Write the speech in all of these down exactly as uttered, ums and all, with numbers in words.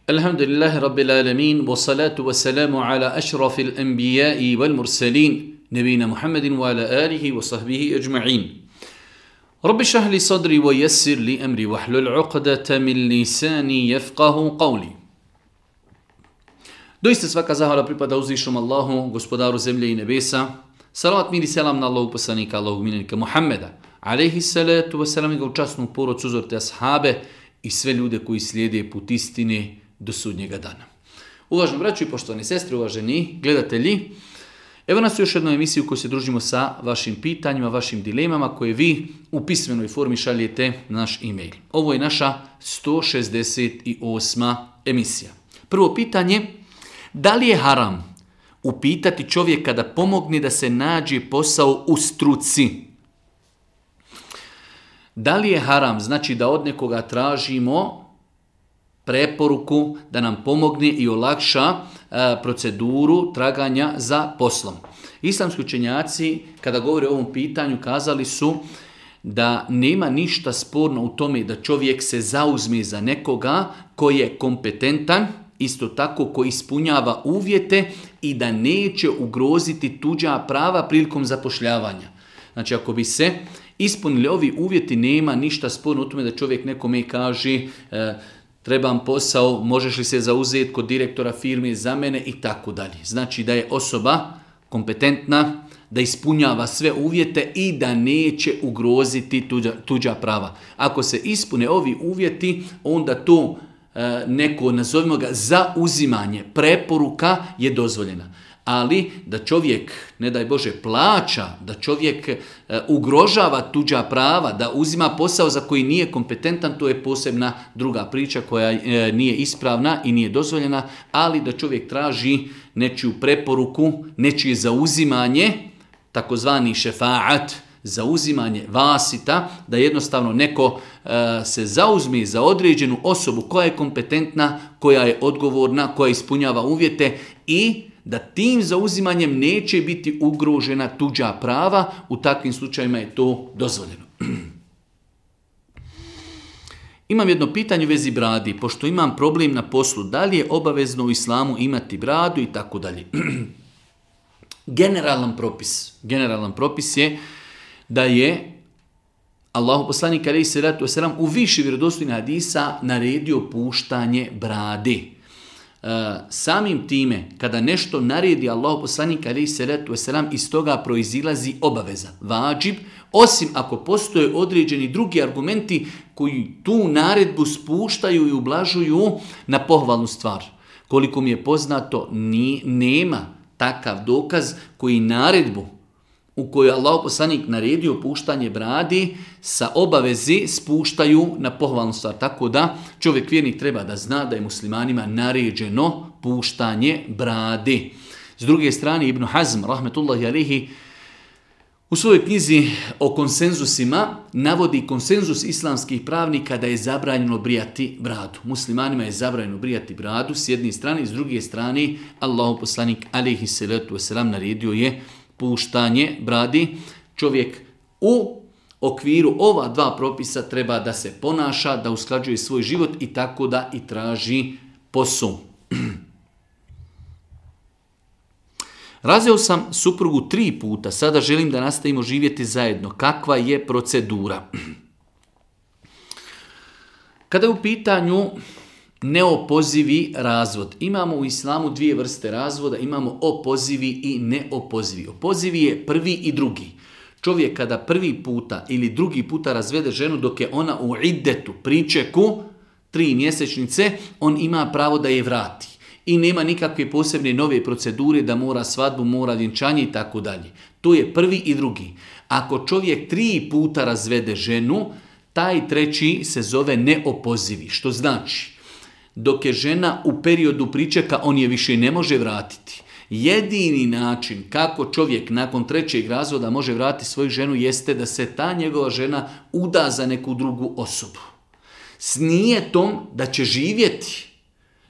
Alhamdulillahi Rabbil alamin, wa salatu wa salamu ala ašrafil anbijai wal mursalin, nebina Muhammedin wa ala alihi wa sahbihi ajma'in. Rabbi šrah li sadri wa yassir li amri wa hlul uqdata min lisani yafqahu qawli. Doista svaka zahvala pripada uzvišnom Allahu, gospodaru zemlje i nebesa. Salavat mir i selam na Allahu poslanika, Allahu miljenika Muhammeda, alejhi salatu wa salam, i ga u časnu porodcu, uzor te ashabe i sve ljude koji slijede put istine do sudnjega dana. Uvaženi braćo i poštovani sestre, uvaženi gledatelji, evo nas u još jednu emisiju u kojoj se družimo sa vašim pitanjima, vašim dilemama koje vi u pismenoj formi šaljete na naš e-mail. Ovo je naša sto šezdeset osma emisija. Prvo pitanje, da li je haram upitati čovjeka da pomogne da se nađe posao u struci? Da li je haram, znači da od nekoga tražimo preporuku da nam pomogne i olakša e, proceduru traganja za poslom? Islamski učenjaci, kada govore o ovom pitanju, kazali su da nema ništa sporno u tome da čovjek se zauzme za nekoga koji je kompetentan, isto tako koji ispunjava uvjete i da neće ugroziti tuđa prava prilikom zapošljavanja. Znači, ako bi se ispunili ovi uvjeti, nema ništa sporno u tome da čovjek nekome kaže e, trebam posao, možeš li se zauzeti kod direktora firme za mene i tako dalje. Znači da je osoba kompetentna, da ispunjava sve uvjete i da neće ugroziti tuđa, tuđa prava. Ako se ispune ovi uvjeti, onda to e, neko, nazovimo ga, zauzimanje, preporuka je dozvoljena. Ali da čovjek, ne daj Bože, plaća, da čovjek e, ugrožava tuđa prava, da uzima posao za koji nije kompetentan, to je posebna druga priča koja e, nije ispravna i nije dozvoljena, ali da čovjek traži nečiju preporuku, nečije zauzimanje, takozvani šefaat, zauzimanje vasita, da jednostavno neko e, se zauzme za određenu osobu koja je kompetentna, koja je odgovorna, koja ispunjava uvjete i da tim zauzimanjem neće biti ugrožena tuđa prava, u takvim slučajima je to dozvoljeno. Imam jedno pitanje u vezi bradi, pošto imam problem na poslu, da li je obavezno u islamu imati bradu i tako dalje. Generalan propis, generalan propis je da je Allahu poslanik alejhi salatu vesselam u više vjerodostojnih hadisa naredio puštanje brade. Uh, samim time, kada nešto naredi Allahu poslanik alejhi salatu vesselam, iz toga proizilazi obaveza, vadžib, osim ako postoje određeni drugi argumenti koji tu naredbu spuštaju i ublažuju na pohvalnu stvar. Koliko mi je poznato, ni, nema takav dokaz koji naredbu u kojoj Allahu poslanik naredio puštanje bradi sa obavezi spuštaju na pohvalnu stvar. Tako da čovjek vjernik treba da zna da je muslimanima naređeno puštanje bradi. S druge strane, Ibn Hazm, rahmetullahi alejhi, u svojoj knjizi o konsenzusima navodi konsenzus islamskih pravnika da je zabranjeno brijati bradu. Muslimanima je zabranjeno brijati bradu s jedne strane, s druge strane Allahu poslanik alejhi salatu vesselam naredio je puštanje bradi. Čovjek u okviru ova dva propisa treba da se ponaša, da usklađuje svoj život i tako da i traži posao. Razveo sam suprugu tri puta, sada želim da nastavimo živjeti zajedno. Kakva je procedura? Kada je u pitanju neopozivi razvod, imamo u islamu dvije vrste razvoda, imamo opozivi i neopozivi. Opozivi je prvi i drugi. Čovjek kada prvi puta ili drugi puta razvede ženu dok je ona u iddetu, pričeku, tri mjesečnice, on ima pravo da je vrati. I nema nikakve posebne nove procedure da mora svadbu, mora vjenčanje i tako dalje. To je prvi i drugi. Ako čovjek tri puta razvede ženu, taj treći se zove neopozivi. Što znači, dok je žena u periodu pričeka, on je više ne može vratiti. Jedini način kako čovjek nakon trećeg razvoda može vratiti svoju ženu jeste da se ta njegova žena uda za neku drugu osobu. S nijetom da će živjeti.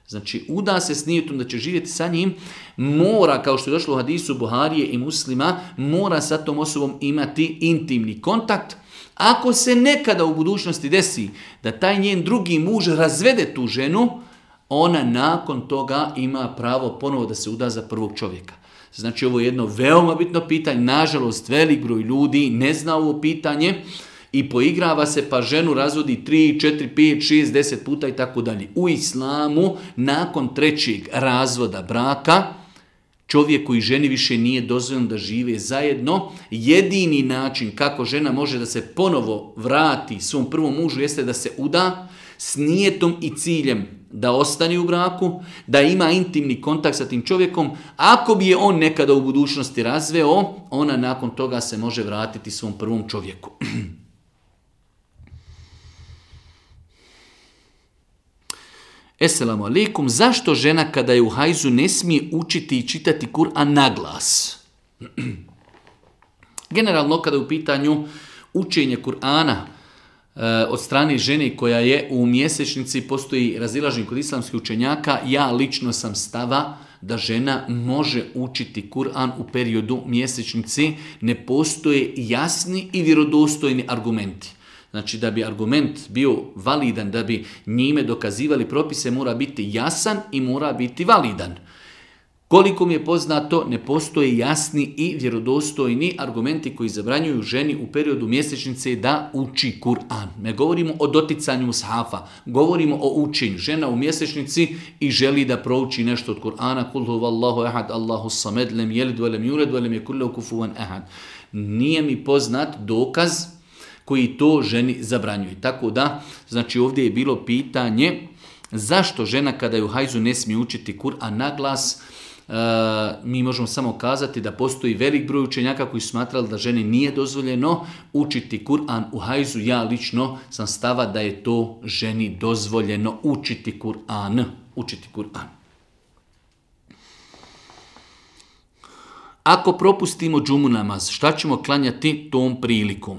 Znači, uda se s nijetom da će živjeti sa njim, mora, kao što je došlo u hadisu Buharije i Muslima, mora sa tom osobom imati intimni kontakt. Ako se nekada u budućnosti desi da taj njen drugi muž razvede tu ženu, ona nakon toga ima pravo ponovo da se uda za prvog čovjeka. Znači ovo je jedno veoma bitno pitanje, nažalost velik broj ljudi ne zna ovo pitanje i poigrava se pa ženu razvodi tri, četiri, pet, šest, deset puta i tako dalje. U islamu nakon trećeg razvoda braka čovjeku i ženi više nije dozvoljeno da žive zajedno. Jedini način kako žena može da se ponovo vrati svom prvom mužu jeste da se uda s nijetom i ciljem da ostane u braku, da ima intimni kontakt sa tim čovjekom. Ako bi je on nekada u budućnosti razveo, ona nakon toga se može vratiti svom prvom čovjeku. Esselamu alaikum, zašto žena kada je u hajzu ne smije učiti i čitati Kur'an na glas? Generalno kada je u pitanju učenje Kur'ana e, od strane žene koja je u mjesečnici, postoji razilaženje kod islamskih učenjaka, ja lično sam stava da žena može učiti Kur'an u periodu mjesečnici, ne postoje jasni i vjerodostojni argumenti. Znači da bi argument bio validan, da bi njime dokazivali propise, mora biti jasan i mora biti validan. Koliko mi je poznato, ne postoje jasni i vjerodostojni argumenti koji zabranjuju ženi u periodu mjesečnice da uči Kur'an. Ne govorimo o doticanju mushafa, govorimo o učenju. Žena u mjesečnici i želi da prouči nešto od Kur'ana. Kul huvallahu ahad, Allahu samed, lem jelid, velem jured, velem je kullahu kufuvan ahad. Nije mi poznat dokaz koji to ženi zabranjuje. Tako da, znači ovdje je bilo pitanje zašto žena kada je u hajzu ne smije učiti Kur'an na glas. E, mi možemo samo kazati da postoji velik broj učenjaka koji su smatrali da ženi nije dozvoljeno učiti Kur'an u hajzu. Ja lično sam stava da je to ženi dozvoljeno učiti Kur'an. Učiti Kur'an. Ako propustimo džumu namaz, šta ćemo klanjati tom prilikom?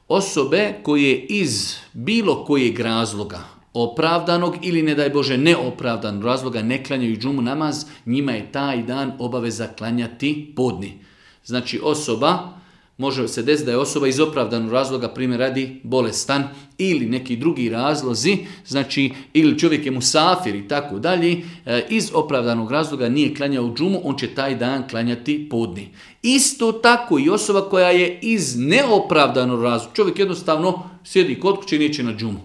Osobe koje iz bilo kojeg razloga, opravdanog ili ne daj Bože neopravdanog razloga, ne klanjaju džumu namaz, njima je taj dan obaveza klanjati podni. Znači osoba, može se desiti da je osoba iz opravdanog razloga, primjer radi bolestan ili neki drugi razlozi, znači ili čovjek je musafir i tako dalje, iz opravdanog razloga nije klanjao džumu, on će taj dan klanjati podni. Isto tako i osoba koja je iz neopravdanog razloga, čovjek jednostavno sjedi kod kuće i neće na džumu.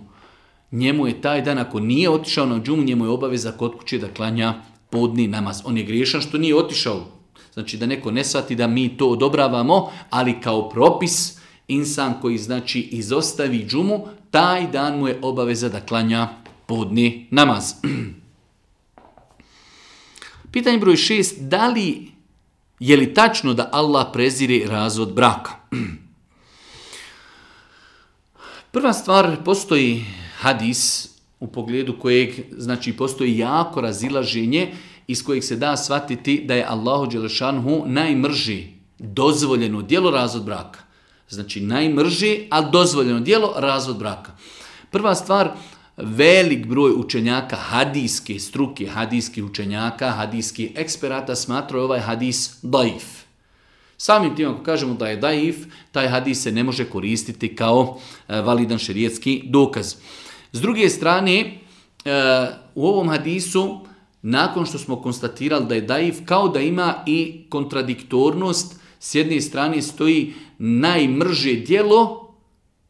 Njemu je taj dan, ako nije otišao na džumu, njemu je obaveza kod kuće da klanja podni namaz. On je griješan što nije otišao. Znači da neko ne shvati da mi to odobravamo, ali kao propis insan koji znači izostavi džumu, taj dan mu je obaveza da klanja podni namaz. Pitanje broj šest, da li je li tačno da Allah prezire razvod braka? Prva stvar, postoji hadis u pogledu kojeg znači postoji jako razilaženje iz kojeg se da shvatiti da je Allahu dželešanhu najmrži dozvoljeno djelo razvod braka. Znači najmrži, ali dozvoljeno djelo razvod braka. Prva stvar, velik broj učenjaka hadijske struke, hadijskih učenjaka, hadijskih eksperata smatraju ovaj hadis daif. Samim tim ako kažemo da je daif, taj hadis se ne može koristiti kao validan šerijetski dokaz. S druge strane, u ovom hadisu, nakon što smo konstatirali da je daif, kao da ima i kontradiktornost, s jedne strane stoji najmrže djelo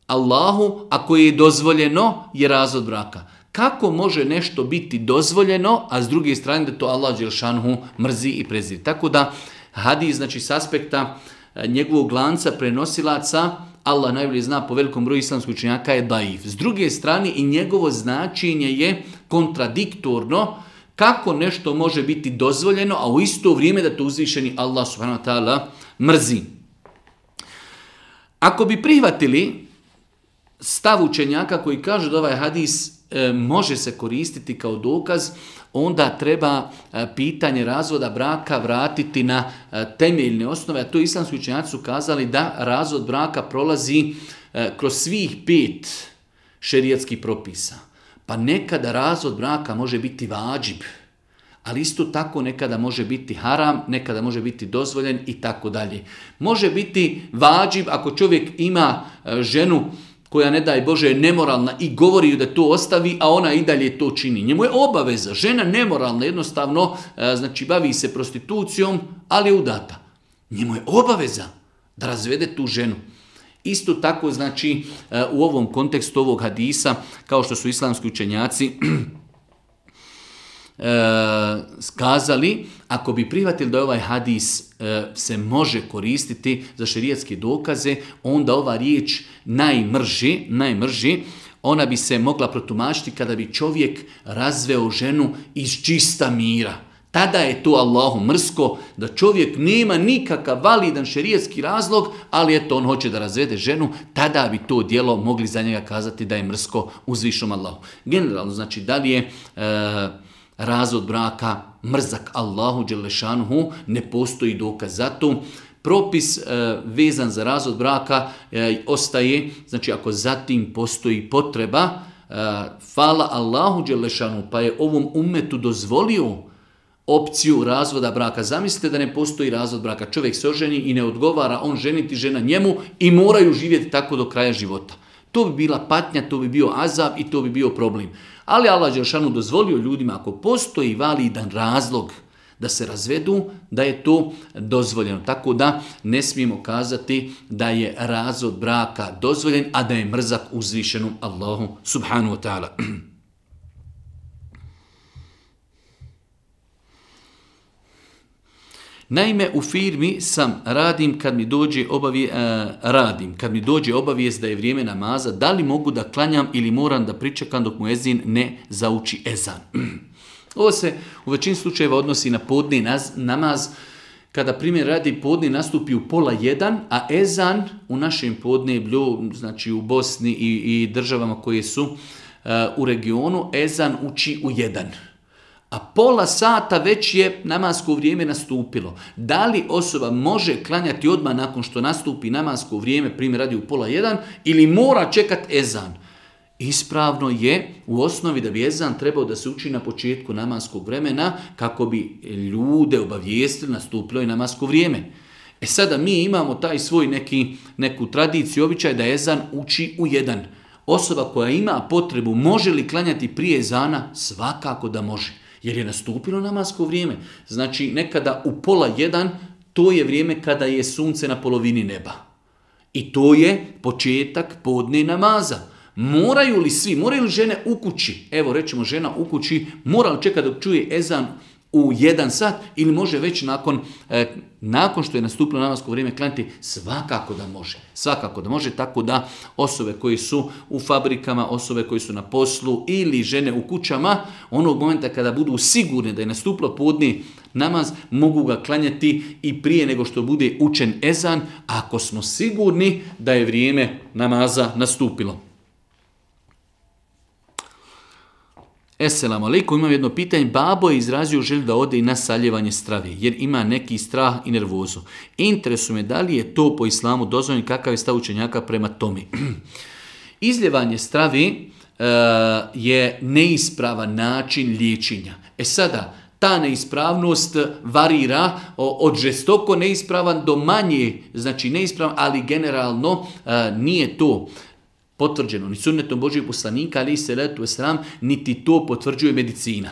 Allahu, a koje je dozvoljeno, je razvod braka. Kako može nešto biti dozvoljeno, a s druge strane da to Allah dželšanhu mrzi i preziri? Tako da hadis, znači s aspekta njegovog lanca prenosilaca, Allah najbolje zna po velikom broju islamskih učenjaka je daif. S druge strane i njegovo značenje je kontradiktorno, kako nešto može biti dozvoljeno, a u isto vrijeme da to uzvišeni Allah subhanahu wa ta'ala mrzi. Ako bi prihvatili stav učenjaka koji kaže da ovaj hadis e, može se koristiti kao dokaz, onda treba e, pitanje razvoda braka vratiti na e, temeljne osnove. A to islamski učenjaci su kazali da razvod braka prolazi e, kroz svih pet šerijatskih propisa. Pa nekada razvod braka može biti vađib, ali isto tako nekada može biti haram, nekada može biti dozvoljen i tako dalje. Može biti vađib ako čovjek ima ženu koja ne daj Bože je nemoralna i govori ju da to ostavi, a ona i dalje to čini. Njemu je obaveza. Žena nemoralna, jednostavno, znači bavi se prostitucijom, ali je udata. Njemu je obaveza da razvede tu ženu. Isto tako, znači, u ovom kontekstu ovog hadisa, kao što su islamski učenjaci skazali, ako bi prihvatili da ovaj hadis se može koristiti za šerijatske dokaze, onda ova riječ najmrži, najmrži, ona bi se mogla protumačiti kada bi čovjek razveo ženu iz čista mira. Tada je to Allahu mrsko, da čovjek nema nikakav validan šerijatski razlog, ali eto on hoće da razvede ženu, tada bi to djelo mogli za njega kazati da je mrsko uzvišnom Allahu. Generalno, znači, da li je e, razvod braka mrzak Allahu dželešanuhu, ne postoji dokaz za to. Propis e, vezan za razvod braka e, ostaje, znači ako zatim postoji potreba, e, fala Allahu dželešanuhu, pa je ovom ummetu dozvolio opciju razvoda braka. Zamislite da ne postoji razvod braka. Čovjek se oženi i ne odgovara, on ženiti, žena njemu i moraju živjeti tako do kraja života. To bi bila patnja, to bi bio azab i to bi bio problem. Ali Allah dželešanu dozvolio ljudima, ako postoji validan razlog da se razvedu, da je to dozvoljeno. Tako da ne smijemo kazati da je razvod braka dozvoljen, a da je mrzak uzvišenom Allahu subhanahu wa ta'ala. Naime, u firmi sam radim kad mi dođe obavije, uh, radim, kad mi dođe obavijest da je vrijeme namaza, da li mogu da klanjam ili moram da pričekam dok mu ezin ne zauči ezan. Ovo se u većini slučajeva odnosi na podni namaz, kada primjer radi podni nastupi u pola jedan, a ezan u našem podneblju, znači u Bosni i, i državama koje su uh, u regionu, ezan uči u jedan. A pola sata već je namasko vrijeme nastupilo. Da li osoba može klanjati odmah nakon što nastupi namasko vrijeme, primjer radi u pola jedan, ili mora čekati ezan? Ispravno je u osnovi da bi ezan trebao da se uči na početku namaskog vremena kako bi ljude obavijestili nastupilo je namasko vrijeme. E sada mi imamo taj svoj neki, neku tradiciju, običaj da ezan uči u jedan. Osoba koja ima potrebu može li klanjati prije ezana? Svakako da može. Jer je nastupilo namasko vrijeme. Znači, nekada u pola jedan, to je vrijeme kada je sunce na polovini neba. I to je početak podne namaza. Moraju li svi, moraju li žene u kući, evo rećemo žena u kući, mora li čekati dok čuje ezan u jedan sat ili može već nakon, eh, nakon što je nastupilo namasko vrijeme klanjati? Svakako da može. Svakako da može, tako da osobe koji su u fabrikama, osobe koji su na poslu ili žene u kućama, onog momenta kada budu sigurne da je nastupilo podni namaz, mogu ga klanjati i prije nego što bude učen ezan, ako smo sigurni da je vrijeme namaza nastupilo. Esselamu alaikum, imam jedno pitanje. Babo je izrazio želju da ode i na saljevanje strave, jer ima neki strah i nervozu. Interesuje me da li je to po islamu dozvoljeno, kakav je stav učenjaka prema tome. Izljevanje strave uh, je neispravan način liječenja. E sada, ta neispravnost varira od žestoko neispravan do manje, znači neispravan, ali generalno uh, nije to potvrđeno ni sunnetom Božijeg poslanika, ali i salatu vesselam, niti to potvrđuje medicina.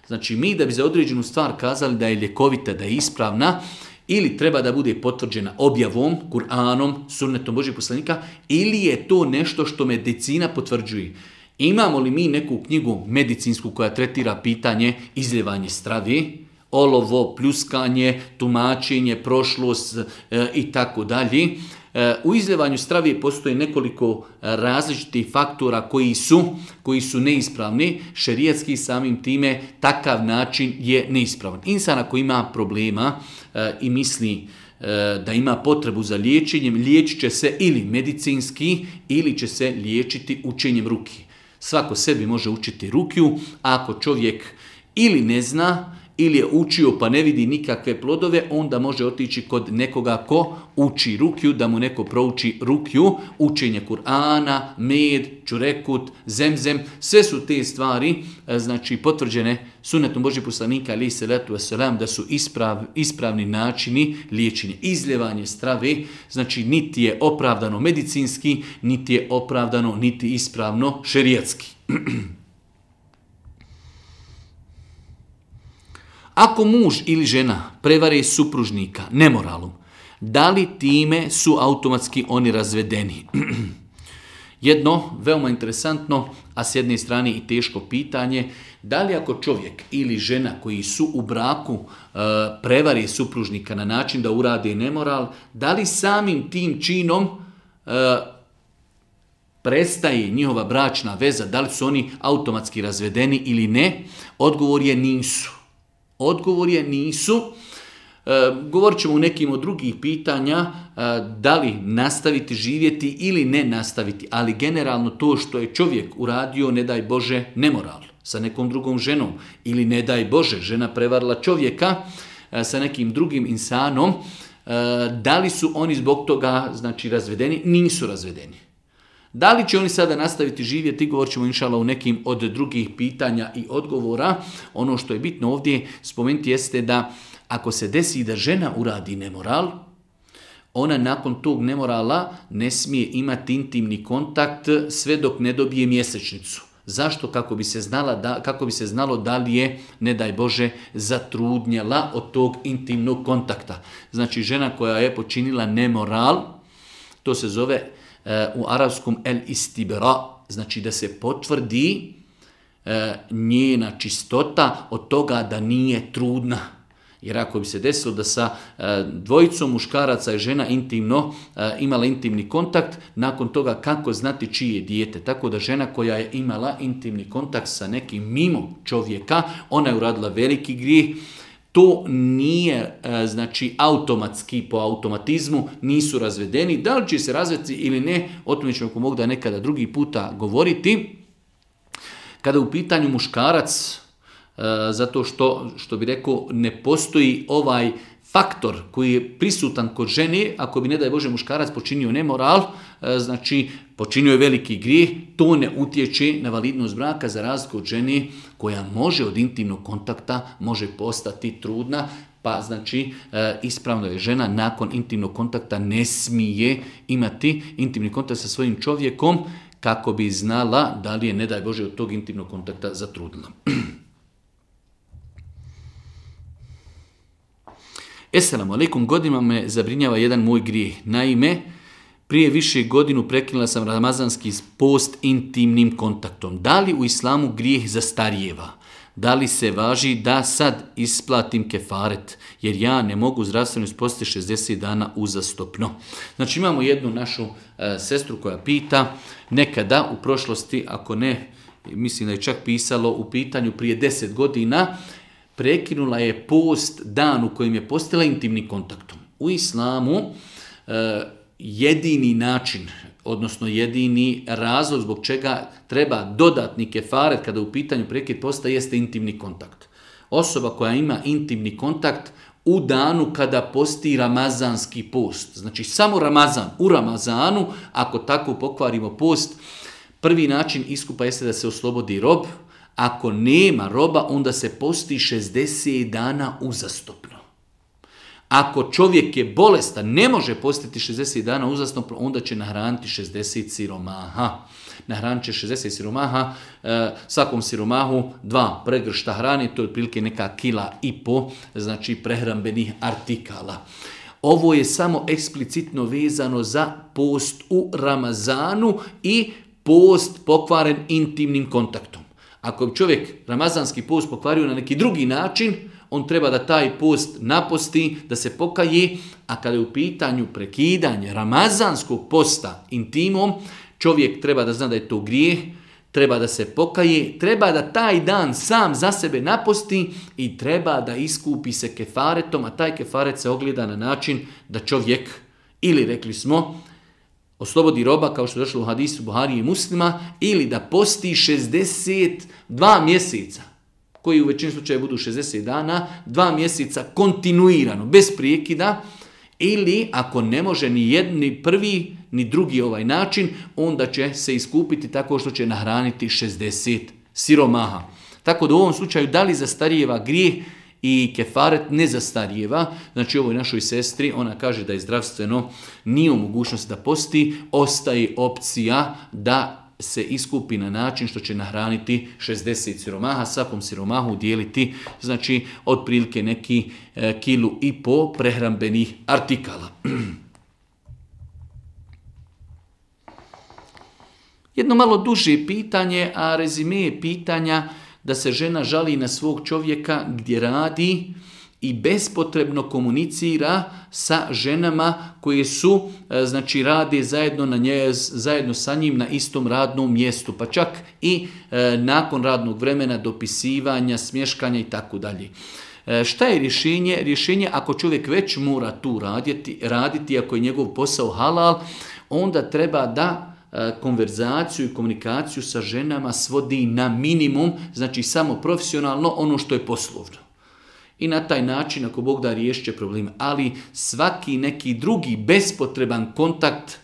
Znači, mi da bi za određenu stvar kazali da je ljekovita, da je ispravna, ili treba da bude potvrđena objavom, Kur'anom, sunnetom Božijeg poslanika, ili je to nešto što medicina potvrđuje. Imamo li mi neku knjigu medicinsku koja tretira pitanje izljevanje strave, olovo, pljuskanje, tumačenje, prošlost e, i tako dalje? U izljevanju strave postoje nekoliko različitih faktora koji su, koji su neispravni. Šerijatski samim time takav način je neispravan. Insan ako ima problema e, i misli e, da ima potrebu za liječenjem, liječit će se ili medicinski ili će se liječiti učenjem ruki. Svako sebi može učiti rukiju, a ako čovjek ili ne zna ili je učio pa ne vidi nikakve plodove, onda može otići kod nekoga ko uči rukju, da mu neko prouči rukju, učenje Kur'ana, med, čurekut, zemzem, sve su te stvari znači potvrđene sunnetom Božjeg poslanika alejhi selatu vesselam da su isprav, ispravni načini liječenja. Izljevanje strave, znači niti je opravdano medicinski, niti je opravdano, niti ispravno šerijatski. Ako muž ili žena prevare supružnika nemoralom, da li time su automatski oni razvedeni? Jedno veoma interesantno, a s jedne strane i teško pitanje, da li ako čovjek ili žena koji su u braku e, prevari supružnika na način da urade nemoral, da li samim tim činom e, prestaje njihova bračna veza, da li su oni automatski razvedeni ili ne? Odgovor je nisu. Odgovor je nisu. E, govorit ćemo u nekim od drugih pitanja e, da li nastaviti živjeti ili ne nastaviti, ali generalno to što je čovjek uradio, ne daj Bože, nemoral sa nekom drugom ženom ili ne daj Bože, žena prevarila čovjeka e, sa nekim drugim insanom, e, da li su oni zbog toga znači razvedeni? Nisu razvedeni. Da li će oni sada nastaviti živjeti, govorit ćemo inšala u nekim od drugih pitanja i odgovora. Ono što je bitno ovdje spomenuti jeste da ako se desi da žena uradi nemoral, ona nakon tog nemorala ne smije imati intimni kontakt sve dok ne dobije mjesečnicu. Zašto? Kako bi se znala da, kako bi se znalo da li je, ne daj Bože, zatrudnjela od tog intimnog kontakta. Znači žena koja je počinila nemoral, to se zove u arapskom el istibra, znači da se potvrdi e, njena čistota od toga da nije trudna. Jer ako bi se desilo da sa e, dvojicom muškaraca i žena intimno e, imala intimni kontakt, nakon toga kako znati čije je dijete. Tako da žena koja je imala intimni kontakt sa nekim mimo čovjeka, ona je uradila veliki grijeh. To nije, znači, automatski, po automatizmu, nisu razvedeni. Da li će se razvesti ili ne, o tome ćemo ako mogu da nekada drugi puta govoriti. Kada u pitanju muškarac, zato što, što bi rekao, ne postoji ovaj faktor koji je prisutan kod žene, ako bi, ne daj Bože, muškarac počinio nemoral, znači počinio je veliki grijeh, to ne utječe na validnost braka za razliku od žene koja može od intimnog kontakta, može postati trudna, pa znači ispravno je žena nakon intimnog kontakta ne smije imati intimni kontakt sa svojim čovjekom kako bi znala da li je, ne daj Bože, od tog intimnog kontakta zatrudnila. Esselamu alaikum, godinama me zabrinjava jedan moj grijeh. Naime, prije više godinu prekinula sam ramazanski post intimnim kontaktom. Da li u islamu grijeh zastarijeva? Da li se važi da sad isplatim kefaret? Jer ja ne mogu zdravstveno ispostaviti šezdeset dana uzastopno. Znači imamo jednu našu e, sestru koja pita, nekada u prošlosti, ako ne, mislim da je čak pisalo u pitanju prije deset godina, prekinula je post dan u kojem je postala intimnim kontaktom. U islamu e, jedini način, odnosno jedini razlog zbog čega treba dodatni kefaret kada u pitanju prekid posta jeste intimni kontakt. Osoba koja ima intimni kontakt u danu kada posti ramazanski post, znači samo Ramazan, u Ramazanu, ako tako pokvarimo post, prvi način iskupa jeste da se oslobodi rob. Ako nema roba, onda se posti šezdeset dana uzastopno. Ako čovjek je bolestan, ne može postiti šezdeset dana uzastopno, onda će nahraniti šezdeset siromaha. Nahranit će šezdeset siromaha, e, svakom siromahu dva pregršta hrane, to je otprilike neka kila i po, znači prehrambenih artikala. Ovo je samo eksplicitno vezano za post u Ramazanu i post pokvaren intimnim kontaktom. Ako bi čovjek ramazanski post pokvario na neki drugi način, on treba da taj post naposti, da se pokaje, a kada je u pitanju prekidanje ramazanskog posta intimom, čovjek treba da zna da je to grijeh, treba da se pokaje, treba da taj dan sam za sebe naposti i treba da iskupi se kefaretom, a taj kefaret se ogleda na način da čovjek, ili rekli smo, oslobodi roba, kao što je došlo u hadisu Buharije i Muslima, ili da posti šezdeset dva mjeseca. koji u većini slučaja budu šezdeset dana, dva mjeseca kontinuirano, bez prijekida, ili ako ne može ni jedni prvi, ni drugi ovaj način, onda će se iskupiti tako što će nahraniti šezdeset siromaha. Tako da u ovom slučaju da li zastarijeva grijeh i kefaret ne zastarijeva, znači ovoj našoj sestri, ona kaže da je zdravstveno, nije u mogućnosti da posti, ostaje opcija da se iskupi na način što će nahraniti šezdeset siromaha, svakom siromahu dijeliti, znači otprilike neki e, kilu i po prehrambenih artikala. Jedno malo duže pitanje, a rezime je pitanja da se žena žali na svog čovjeka gdje radi i bespotrebno komunicira sa ženama koje su, znači rade zajedno, na nje, zajedno sa njim na istom radnom mjestu, pa čak i e, nakon radnog vremena dopisivanja, smješkanja i tako dalje. Šta je rješenje? Rješenje ako čovjek već mora tu raditi, raditi, ako je njegov posao halal, onda treba da konverzaciju i komunikaciju sa ženama svodi na minimum, znači samo profesionalno, ono što je poslovno. I na taj način, ako Bog da, riješit će problem. Ali svaki neki drugi bespotreban kontakt,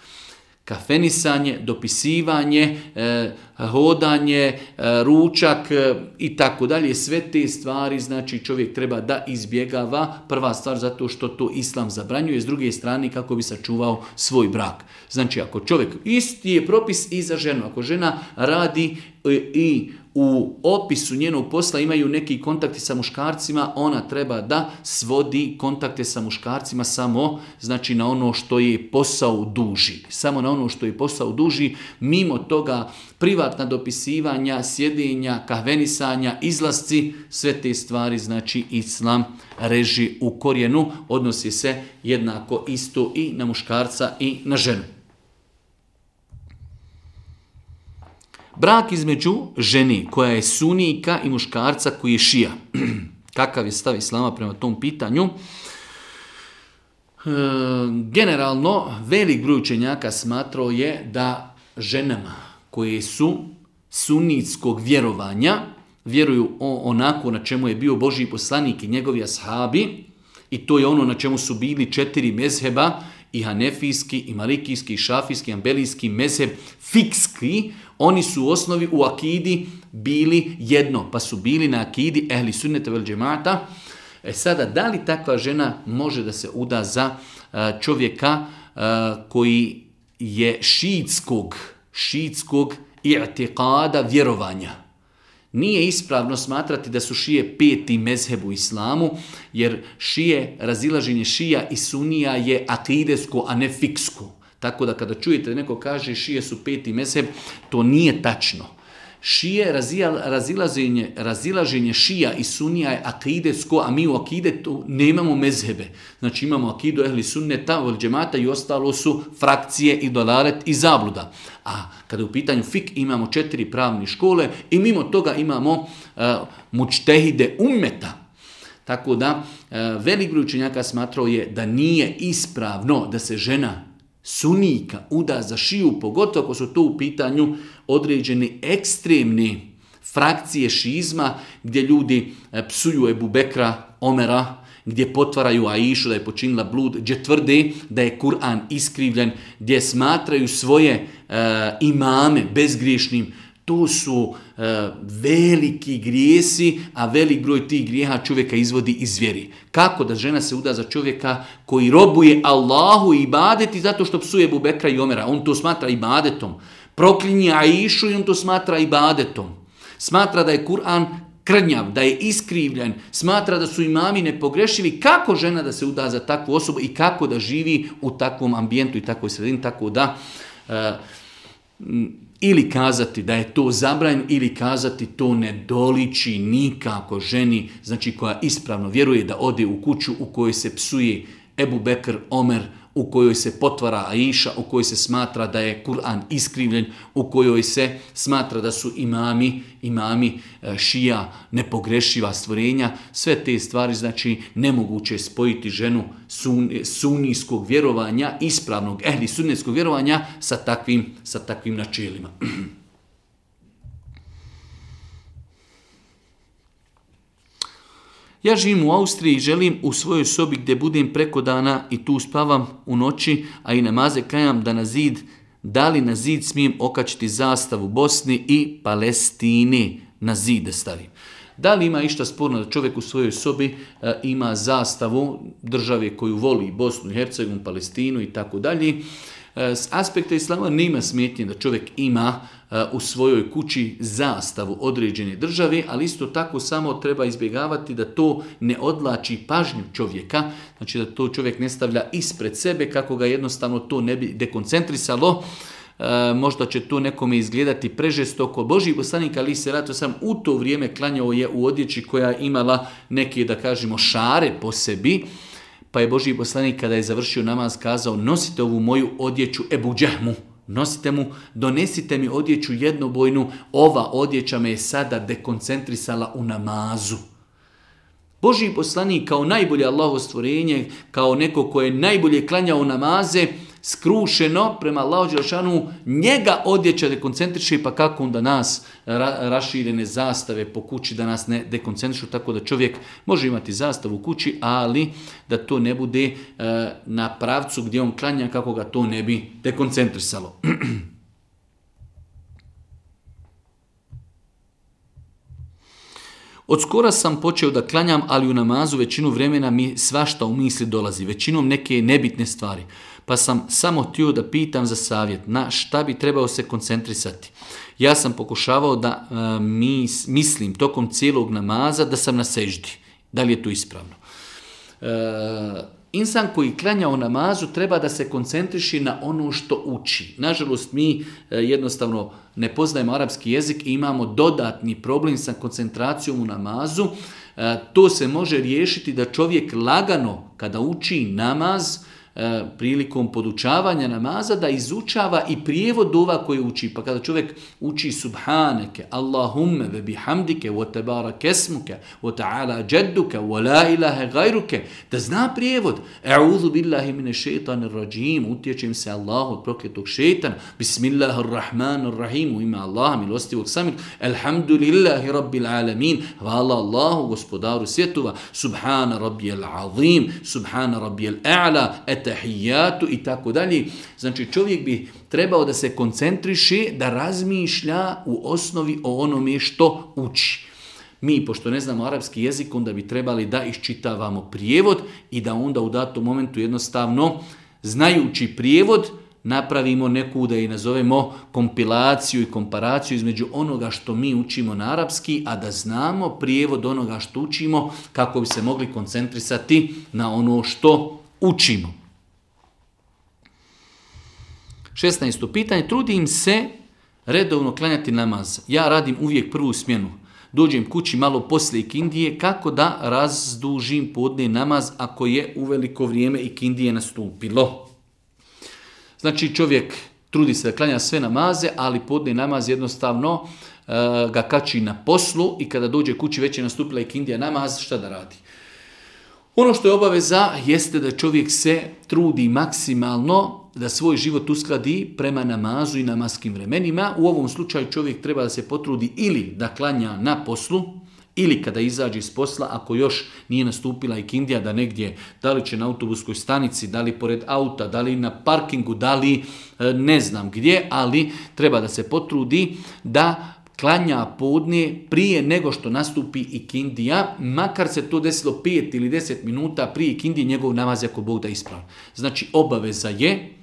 kafenisanje, dopisivanje, eh, hodanje, eh, ručak eh, i tako dalje, sve te stvari, znači čovjek treba da izbjegava. Prva stvar zato što to Islam zabranjuje, s druge strane kako bi sačuvao svoj brak. Znači ako čovjek, isti je propis i za ženu, ako žena radi i u opisu njenog posla imaju neki kontakti sa muškarcima, ona treba da svodi kontakte sa muškarcima samo, znači na ono što je posao duži. Samo na ono što je posao duži, mimo toga privatna dopisivanja, sjedenja, kahvenisanja, izlasci, sve te stvari, znači Islam reži u korijenu, odnosi se jednako isto i na muškarca i na ženu. Brak između žene koja je sunijka i muškarca koji je šija. Kakav je stav Islama prema tom pitanju? E, generalno, velik broj učenjaka smatrao je da ženama koje su sunitskog vjerovanja, vjeruju onako na čemu je bio Božji poslanik i njegovi ashabi, i to je ono na čemu su bili četiri mezheba, i hanefijski, i malikijski, i šafijski, i ambelijski mezheb, fikski, oni su u osnovi u akidi bili jedno, pa su bili na akidi ehli sunneta vel džemata. E sada, da li takva žena može da se uda za čovjeka koji je šiitskog, šiitskog i'tiqada vjerovanja? Nije ispravno smatrati da su šije peti mezheb u islamu, jer šije, razilaženje šija i sunija je akidesko, a ne fiksko. Tako da kada čujete da neko kaže šije su peti mezheb, to nije tačno. Šije, razilaženje, razilaženje šija i sunija je akidesko, a mi u akidetu nemamo mezhebe. Znači imamo akidu ehli sunneta, vel džemata i ostalo su frakcije i dolalet i zabluda. A kada u pitanju fik imamo četiri pravne škole i mimo toga imamo uh, mučtehide ummeta. Tako da uh, velik broj učenjaka smatrao je da nije ispravno da se žena sunika uda za šiju, pogotovo ako su to u pitanju određene ekstremne frakcije šizma gdje ljudi psuju Ebu Bekra, Omera, gdje potvaraju Aišu da je počinila blud, gdje tvrde da je Kur'an iskrivljen, gdje smatraju svoje uh, imame bezgriješnim. To su e, veliki grijesi, a velik broj tih grijeha čovjeka izvodi iz vjeri. Kako da žena se uda za čovjeka koji robuje Allahu i ibadeti zato što psuje Ebu Bekra i Omera? On to smatra ibadetom. Proklinje Aišu i on to smatra ibadetom. Smatra da je Kur'an krnjav, da je iskrivljen, smatra da su imami nepogrešivi. Kako žena da se uda za takvu osobu i kako da živi u takvom ambijentu i takvoj sredini? Tako da... E, ili kazati da je to zabranjeno, ili kazati to ne doliči nikako ženi, znači koja ispravno vjeruje, da ode u kuću u kojoj se psuje Ebu Bekr, Omer, u kojoj se potvara Aiša, u kojoj se smatra da je Kur'an iskrivljen, u kojoj se smatra da su imami, imami šija nepogrešiva stvorenja. Sve te stvari, znači, nemoguće je spojiti ženu sun, sunijskog vjerovanja, ispravnog ehli sunnetskog vjerovanja sa takvim, sa takvim načelima. Ja živim u Austriji i želim u svojoj sobi gdje budem preko dana i tu spavam u noći, a i namaze klanjam da na zid, da li na zid smijem okačiti zastavu Bosni i Palestini, na zid da stavim. Da li ima išta sporno da čovjek u svojoj sobi e, ima zastavu države koju voli, Bosnu i Hercegovinu, Palestinu i tako dalje. S aspekta islama nema smetnje da čovjek ima e, u svojoj kući zastavu određene države, ali isto tako samo treba izbjegavati da to ne odlači pažnju čovjeka, znači da to čovjek ne stavlja ispred sebe kako ga jednostavno to ne bi dekoncentrisalo. E, možda će to nekome izgledati prežestoko. Božji poslanik ali se ratu sam u to vrijeme klanjao je u odjeći koja je imala neke, da kažemo, šare po sebi. Pa je Božji poslanik kada je završio namaz kazao: nosite ovu moju odjeću Ebu Džehmu, nosite mu, donesite mi odjeću jednobojnu, ova odjeća me je sada dekoncentrisala u namazu. Božji poslanik kao najbolje Allahovo stvorenje, kao neko koje je najbolje klanjao namaze, skrušeno prema Allahu dželešanu, njega odjeća dekoncentriše, pa kako onda nas ra, raširene zastave po kući da nas ne dekoncentrišu, tako da čovjek može imati zastavu u kući, ali da to ne bude e, na pravcu gdje on klanja kako ga to ne bi dekoncentrisalo. Od skora sam počeo da klanjam, ali u namazu većinu vremena mi svašta u misli dolazi, većinom neke nebitne stvari. Pa sam samo htio da pitam za savjet, na šta bi trebao se koncentrisati. Ja sam pokušavao da uh, mis, mislim tokom cijelog namaza da sam na seždi. Da li je to ispravno? Uh, insan koji klanja u namazu treba da se koncentriši na ono što uči. Nažalost, mi uh, jednostavno ne poznajemo arapski jezik i imamo dodatni problem sa koncentracijom u namazu. Uh, to se može riješiti da čovjek lagano kada uči namaz, prilikom podučavanja namaza, da izučava i prijevod dova koje uči. Pa kada čovjek uči subhaneke, Allahumme ve bihamdike, wa tebarak esmuke, wa ta'ala džedduke, wa la ilahe gajruke, da zna prijevod. E'udhu billahi mine šeitanir rajim, utječem se Allahu od prokletog šeitana, bismillahirrahmanirrahim, u ime Allaha milostivog samil, elhamdulillahi rabbil alamin, hvala Allahu gospodaru svjetova, subhana rabbijel azim, subhana rabbijel a'la, et tahijatu i tako dalje. Znači čovjek bi trebao da se koncentriše, da razmišlja u osnovi o onome što uči. Mi, pošto ne znamo arapski jezik, onda bi trebali da iščitavamo prijevod i da onda u datom momentu jednostavno, znajući prijevod, napravimo neku, da i nazovemo, kompilaciju i komparaciju između onoga što mi učimo na arapski, a da znamo prijevod onoga što učimo kako bi se mogli koncentrisati na ono što učimo. šesnaesto pitanje. Trudim se redovno klanjati namaz. Ja radim uvijek prvu smjenu. Dođem kući malo poslije ikindije, kako da razdužim podne namaz ako je uveliko vrijeme ikindije nastupilo. Znači čovjek trudi se da klanja sve namaze, ali podne namaz jednostavno uh, ga kači na poslu i kada dođe kući već je nastupila ikindija namaz, šta da radi? Ono što je obaveza jeste da čovjek se trudi maksimalno da svoj život uskladi prema namazu i namaskim vremenima. U ovom slučaju čovjek treba da se potrudi ili da klanja na poslu, ili kada izađe iz posla, ako još nije nastupila ikindija, da negdje, da li će na autobuskoj stanici, da li pored auta, da li na parkingu, da li ne znam gdje, ali treba da se potrudi da klanja podne prije nego što nastupi ikindija, makar se to desilo pet ili deset minuta prije ikindije, njegov namaz ako Bog da ispravi. Znači obaveza je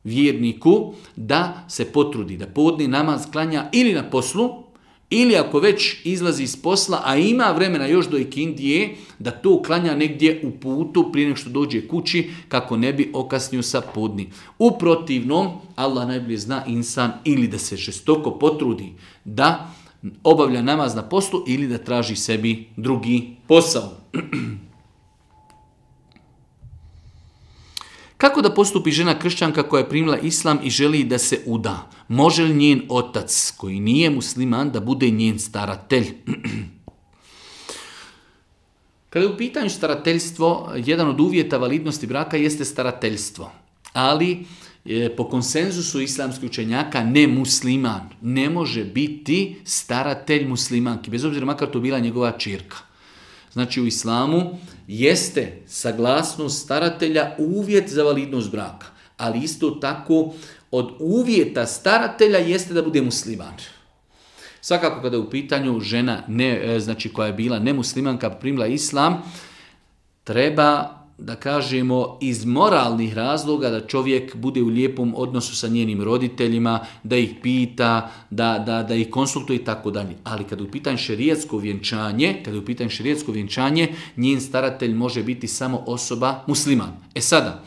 vjerniku da se potrudi da podne namaz klanja ili na poslu, ili ako već izlazi iz posla, a ima vremena još do ikindije, da to klanja negdje u putu prije nego što dođe kući, kako ne bi okasnio sa podni. U protivnom, Allah najbolje zna, insan ili da se žestoko potrudi da obavlja namaz na poslu ili da traži sebi drugi posao. Kako da postupi žena kršćanka koja je primila islam i želi da se uda? Može li njen otac, koji nije musliman, da bude njen staratelj? Kada je u pitanju starateljstvo, jedan od uvjeta validnosti braka jeste starateljstvo. Ali po konsenzusu islamskih učenjaka ne musliman ne može biti staratelj muslimanki, bez obzira makar to bila njegova ćerka. Znači u islamu jeste saglasnost staratelja uvjet za validnost braka, ali isto tako od uvjeta staratelja jeste da bude musliman. Svakako kada je u pitanju žena ne, znači koja je bila nemuslimanka, primila islam, treba da kažemo iz moralnih razloga da čovjek bude u lijepom odnosu sa njenim roditeljima, da ih pita, da, da, da ih konsultuje i tako dalje. Ali kada je u pitanju šerijatsko vjenčanje, kada je u pitanju šerijatsko vjenčanje, njen staratelj može biti samo osoba musliman. E sada,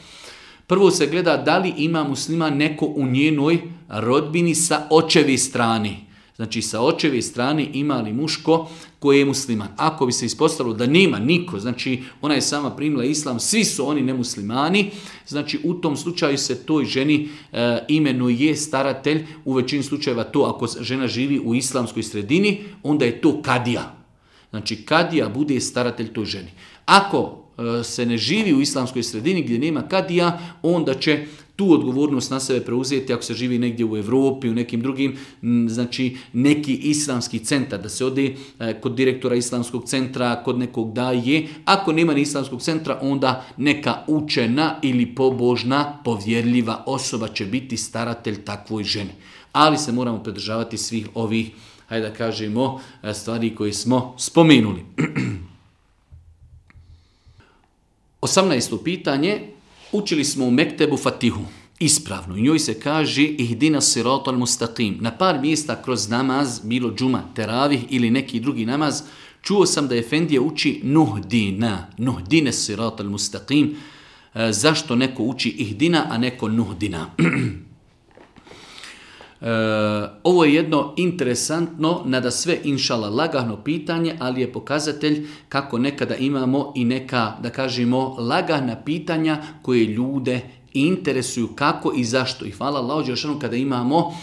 prvo se gleda da li ima musliman neko u njenoj rodbini sa očeve strane. Znači sa očeve strane ima li muško koji je musliman. Ako bi se ispostavilo da nema niko, znači ona je sama primila islam, svi su oni nemuslimani, znači u tom slučaju se toj ženi e, imenuje staratelj, u većini slučajeva to ako žena živi u islamskoj sredini, onda je to kadija. Znači kadija bude staratelj toj ženi. Ako e, se ne živi u islamskoj sredini gdje nema kadija, onda će tu odgovornost na sebe preuzeti ako se živi negdje u Europi, u nekim drugim, znači neki islamski centar, da se ode kod direktora islamskog centra, kod nekog daje. Ako nema ni islamskog centra, onda neka učena ili pobožna, povjerljiva osoba će biti staratelj takvoj ženi. Ali se moramo pridržavati svih ovih, hajde da kažemo, stvari koje smo spomenuli. osamnaesto pitanje. Učili smo u Mektebu Fatihu, ispravno. I njoj se kaže ihdina siratal mustaqim. Na par mjesta kroz namaz, bilo džuma, teravih ili neki drugi namaz, čuo sam da Efendija uči nuhdina, nuhdine siratal mustaqim. E, zašto neko uči ihdina, a neko nuhdina? E, ovo je jedno interesantno, nada sve inšala lagano pitanje, ali je pokazatelj kako nekada imamo i neka, da kažemo, lagana pitanja koje ljude interesuju kako i zašto. I hvala Allahu dželešanu kada imamo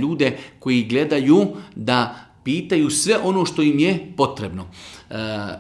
ljude koji gledaju da pitaju sve ono što im je potrebno. E,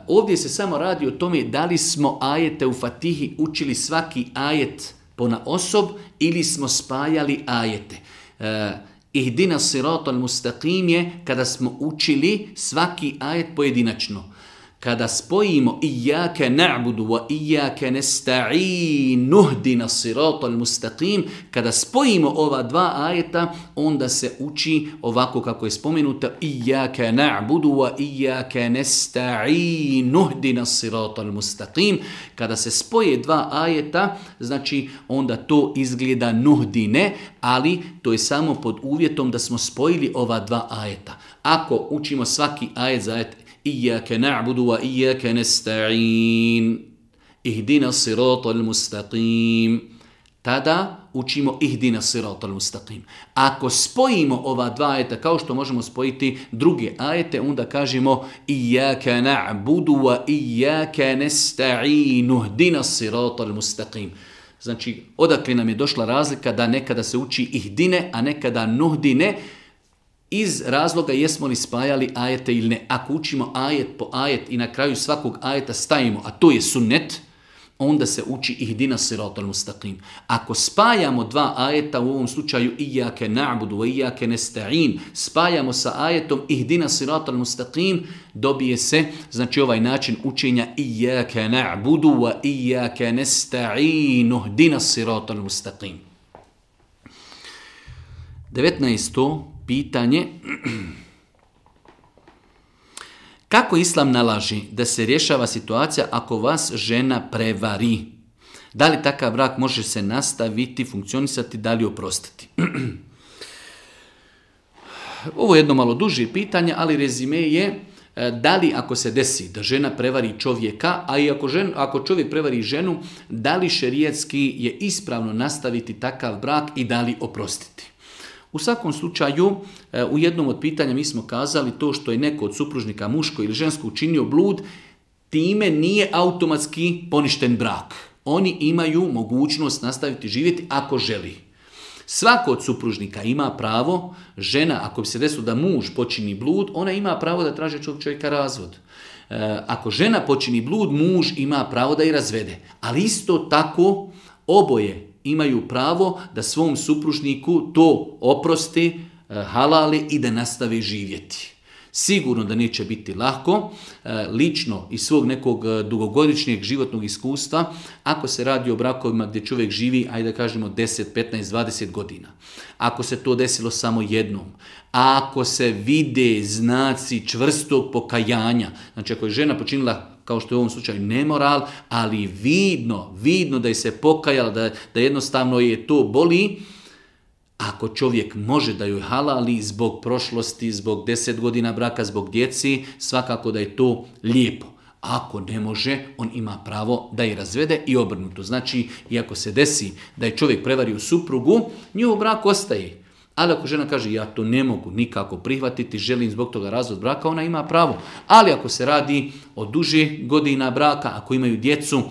ovdje se samo radi o tome da li smo ajete u Fatihi učili svaki ajet ponaosob ili smo spajali ajete. E, Ihdina siratal mustaqim je kada smo učili svaki ajet pojedinačno. Kada spojimo iyyake na'budu wa iyyake nesta'in nuhdina siratal mustaqim, kada spojimo ova dva ajeta, onda se uči ovako kako je spomenuto iyyake na'budu wa iyyake nesta'in nuhdina siratal mustaqim. Kada se spoje dva ajeta, znači onda to izgleda nuhdine, ali to je samo pod uvjetom da smo spojili ova dva ajeta. Ako učimo svaki ajet za ajet Iyyake na'budu wa iyyake nesta'in ihdina siratal mustaqim, tada učimo ihdina siratal mustaqim. Ako spojimo ova dva ajeta kao što možemo spojiti druge ajete, onda kažemo iyyake na'budu wa iyyake nesta'in ihdina siratal mustaqim. Znači, odakle nam je došla razlika da nekada se uči ihdine, a nekada nuhdine, iz razloga jesmo li spajali ajete ili ne. Ako učimo ajet po ajet i na kraju svakog ajeta stavimo, a to je sunnet, onda se uči ihdina siratal mustaqim. Ako spajamo dva ajeta, u ovom slučaju iyyake na'budu wa iyyake nesta'in, spajamo sa ajetom ihdina siratal mustaqim, dobije se, znači ovaj način učenja iyyake na'budu wa iyyake nesta'in ihdina siratal mustaqim. devetnaesto pitanje. Kako Islam nalaži da se rješava situacija ako vas žena prevari? Da li takav brak može se nastaviti, funkcionisati, da li oprostiti? Ovo je jedno malo duže pitanje, ali rezime je da li ako se desi da žena prevari čovjeka, a i ako, žen, ako čovjek prevari ženu, da li šerijatski je ispravno nastaviti takav brak i da li oprostiti? U svakom slučaju, u jednom od pitanja mi smo kazali to što je neko od supružnika muško ili žensko učinio blud, time nije automatski poništen brak. Oni imaju mogućnost nastaviti živjeti ako želi. Svako od supružnika ima pravo, žena, ako bi se desilo da muž počini blud, ona ima pravo da traži od čovjeka razvod. Ako žena počini blud, muž ima pravo da i razvede. Ali isto tako oboje imaju pravo da svom supružniku to oprosti, halali i da nastave živjeti. Sigurno da neće biti lako, lično iz svog nekog dugogodišnjeg životnog iskustva, ako se radi o brakovima gdje čovjek živi, ajde da kažemo deset, petnaest, dvadeset godina. Ako se to desilo samo jednom, ako se vide znaci čvrstog pokajanja, znači ako je žena počinila, kao što je u ovom slučaju, nemoral, ali vidno, vidno da je se pokajala, da, da jednostavno je to boli, ako čovjek može da joj halali zbog prošlosti, zbog deset godina braka, zbog djeci, svakako da je to lijepo. Ako ne može, on ima pravo da je razvede i obrnuto. Znači, iako se desi da je čovjek prevario suprugu, njihov brak ostaje. Ali ako žena kaže ja to ne mogu nikako prihvatiti, želim zbog toga razvod braka, ona ima pravo. Ali ako se radi o duže godina braka, ako imaju djecu,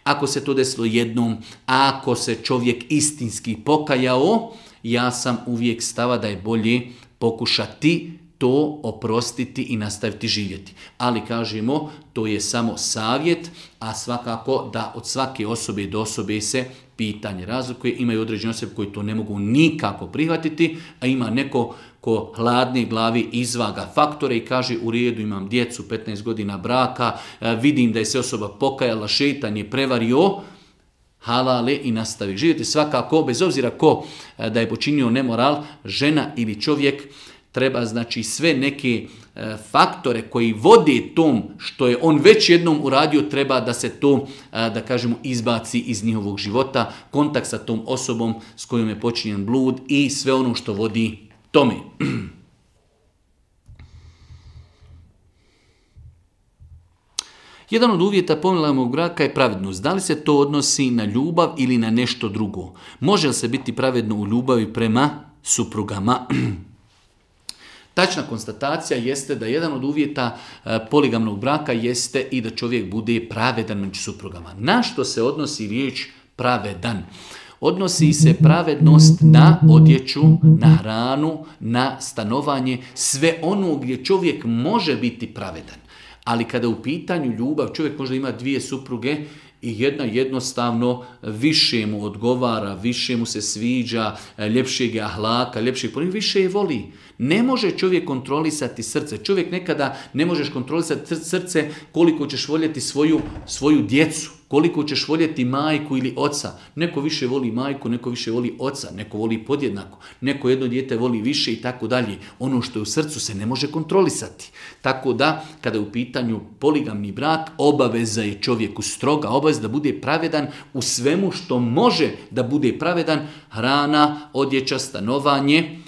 ako se to desilo jednom, ako se čovjek istinski pokajao, ja sam uvijek stava da je bolje pokušati to oprostiti i nastaviti živjeti. Ali kažemo, to je samo savjet, a svakako da od svake osobe do osobe se pitanje razlikuje. Imaju određene osobe koji to ne mogu nikako prihvatiti, a ima neko ko hladne glavi izvaga faktore i kaže u redu, imam djecu, petnaest godina braka, vidim da je se osoba pokajala, šeitan je prevario, halale i nastavi živjeti. Svakako, bez obzira ko da je počinio nemoral, žena ili čovjek, treba znači sve neke e, faktore koji vode tom što je on već jednom uradio, treba da se to, e, da kažemo, izbaci iz njihovog života, kontakt sa tom osobom s kojom je počinjen blud i sve ono što vodi tome. Jedan od uvjeta pomilovnog braka je pravednost. Da li se to odnosi na ljubav ili na nešto drugo? Može li se biti pravedno u ljubavi prema suprugama? Tačna konstatacija jeste da jedan od uvjeta poligamnog braka jeste i da čovjek bude pravedan među suprugama. Na što se odnosi riječ pravedan? Odnosi se pravednost na odjeću, na hranu, na stanovanje, sve ono gdje čovjek može biti pravedan. Ali kada u pitanju ljubav, čovjek možda ima dvije supruge i jedna jednostavno više mu odgovara, više mu se sviđa, ljepšeg je ahlaka, ljepšeg ponika, više je voli. Ne može čovjek kontrolisati srce. Čovjek nekada ne možeš kontrolisati srce koliko ćeš voljeti svoju, svoju djecu, koliko ćeš voljeti majku ili oca. Neko više voli majku, neko više voli oca, neko voli podjednako, neko jedno dijete voli više i tako dalje. Ono što je u srcu se ne može kontrolisati. Tako da, kada je u pitanju poligamni brak, obaveza je čovjeku stroga, obaveza da bude pravedan u svemu što može da bude pravedan, hrana, odjeća, stanovanje.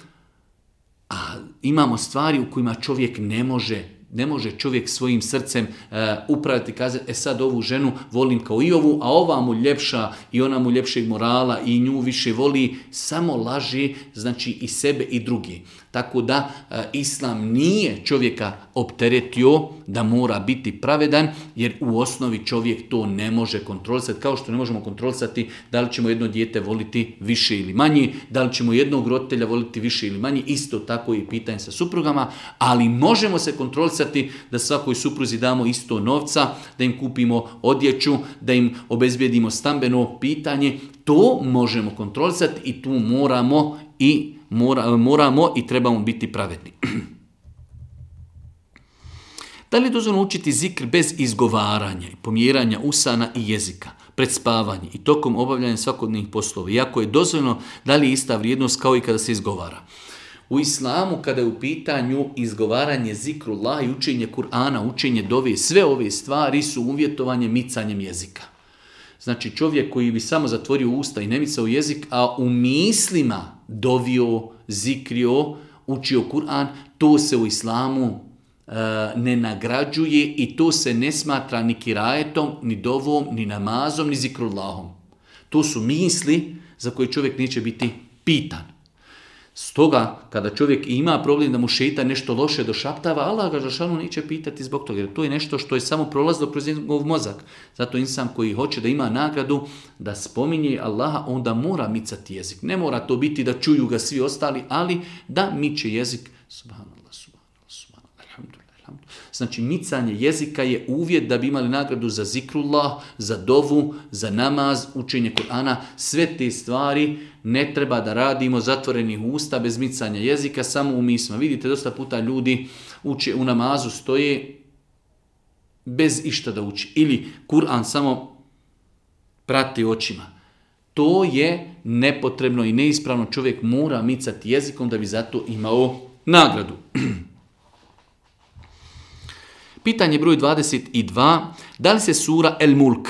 A imamo stvari u kojima čovjek ne može, ne može čovjek svojim srcem uh, upraviti, kazati, e sad ovu ženu volim kao i ovu, a ova mu ljepša i ona mu ljepšeg morala i nju više voli, samo laži, znači i sebe i drugi. Tako da uh, Islam nije čovjeka opteretio da mora biti pravedan, jer u osnovi čovjek to ne može kontrolisati, kao što ne možemo kontrolisati da li ćemo jedno dijete voliti više ili manje, da li ćemo jednog roditelja voliti više ili manje, isto tako i pitanje sa suprugama, ali možemo se kontrolisati da svakoj supruzi damo isto novca, da im kupimo odjeću, da im obezbijedimo stambeno pitanje, to možemo kontrolisati i tu moramo i mora, moramo i trebamo biti pravedni. Da li je dozvoljeno učiti zikr bez izgovaranja i pomjeranja usana i jezika, pred spavanje i tokom obavljanja svakodnevnih poslova? Iako je dozvoljeno, da li je ista vrijednost kao i kada se izgovara? U islamu, kada je u pitanju izgovaranje zikrullah i učenje Kur'ana, učenje dove, sve ove stvari su uvjetovanje micanjem jezika. Znači čovjek koji bi samo zatvorio usta i ne micao jezik, a u mislima dovio, zikrio, učio Kur'an, to se u islamu ne nagrađuje i to se ne smatra ni kirajetom, ni dovom, ni namazom, ni zikrullahom. To su misli za koje čovjek neće biti pitan. Stoga, kada čovjek ima problem da mu šeitan nešto loše došaptava, Allah ga žešanu neće pitati zbog toga, jer to je nešto što je samo prolazilo kroz njegov mozak. Zato insan koji hoće da ima nagradu, da spominje Allaha, onda mora micati jezik. Ne mora to biti da čuju ga svi ostali, ali da miče jezik. Subhanallah, subhanallah, subhanallah, alhamdulillah, Znači, micanje jezika je uvjet da bi imali nagradu za zikrullah, za dovu, za namaz, učenje Kur'ana. Sve te stvari ne treba da radimo zatvorenih usta bez micanja jezika, samo u misma. Vidite, dosta puta ljudi uče u namazu, stoje bez išta da uči. Ili Kur'an samo prati očima. To je nepotrebno i neispravno. Čovjek mora micati jezikom da bi zato imao nagradu. Pitanje broj dvadeset dva. Da li se sura El Mulk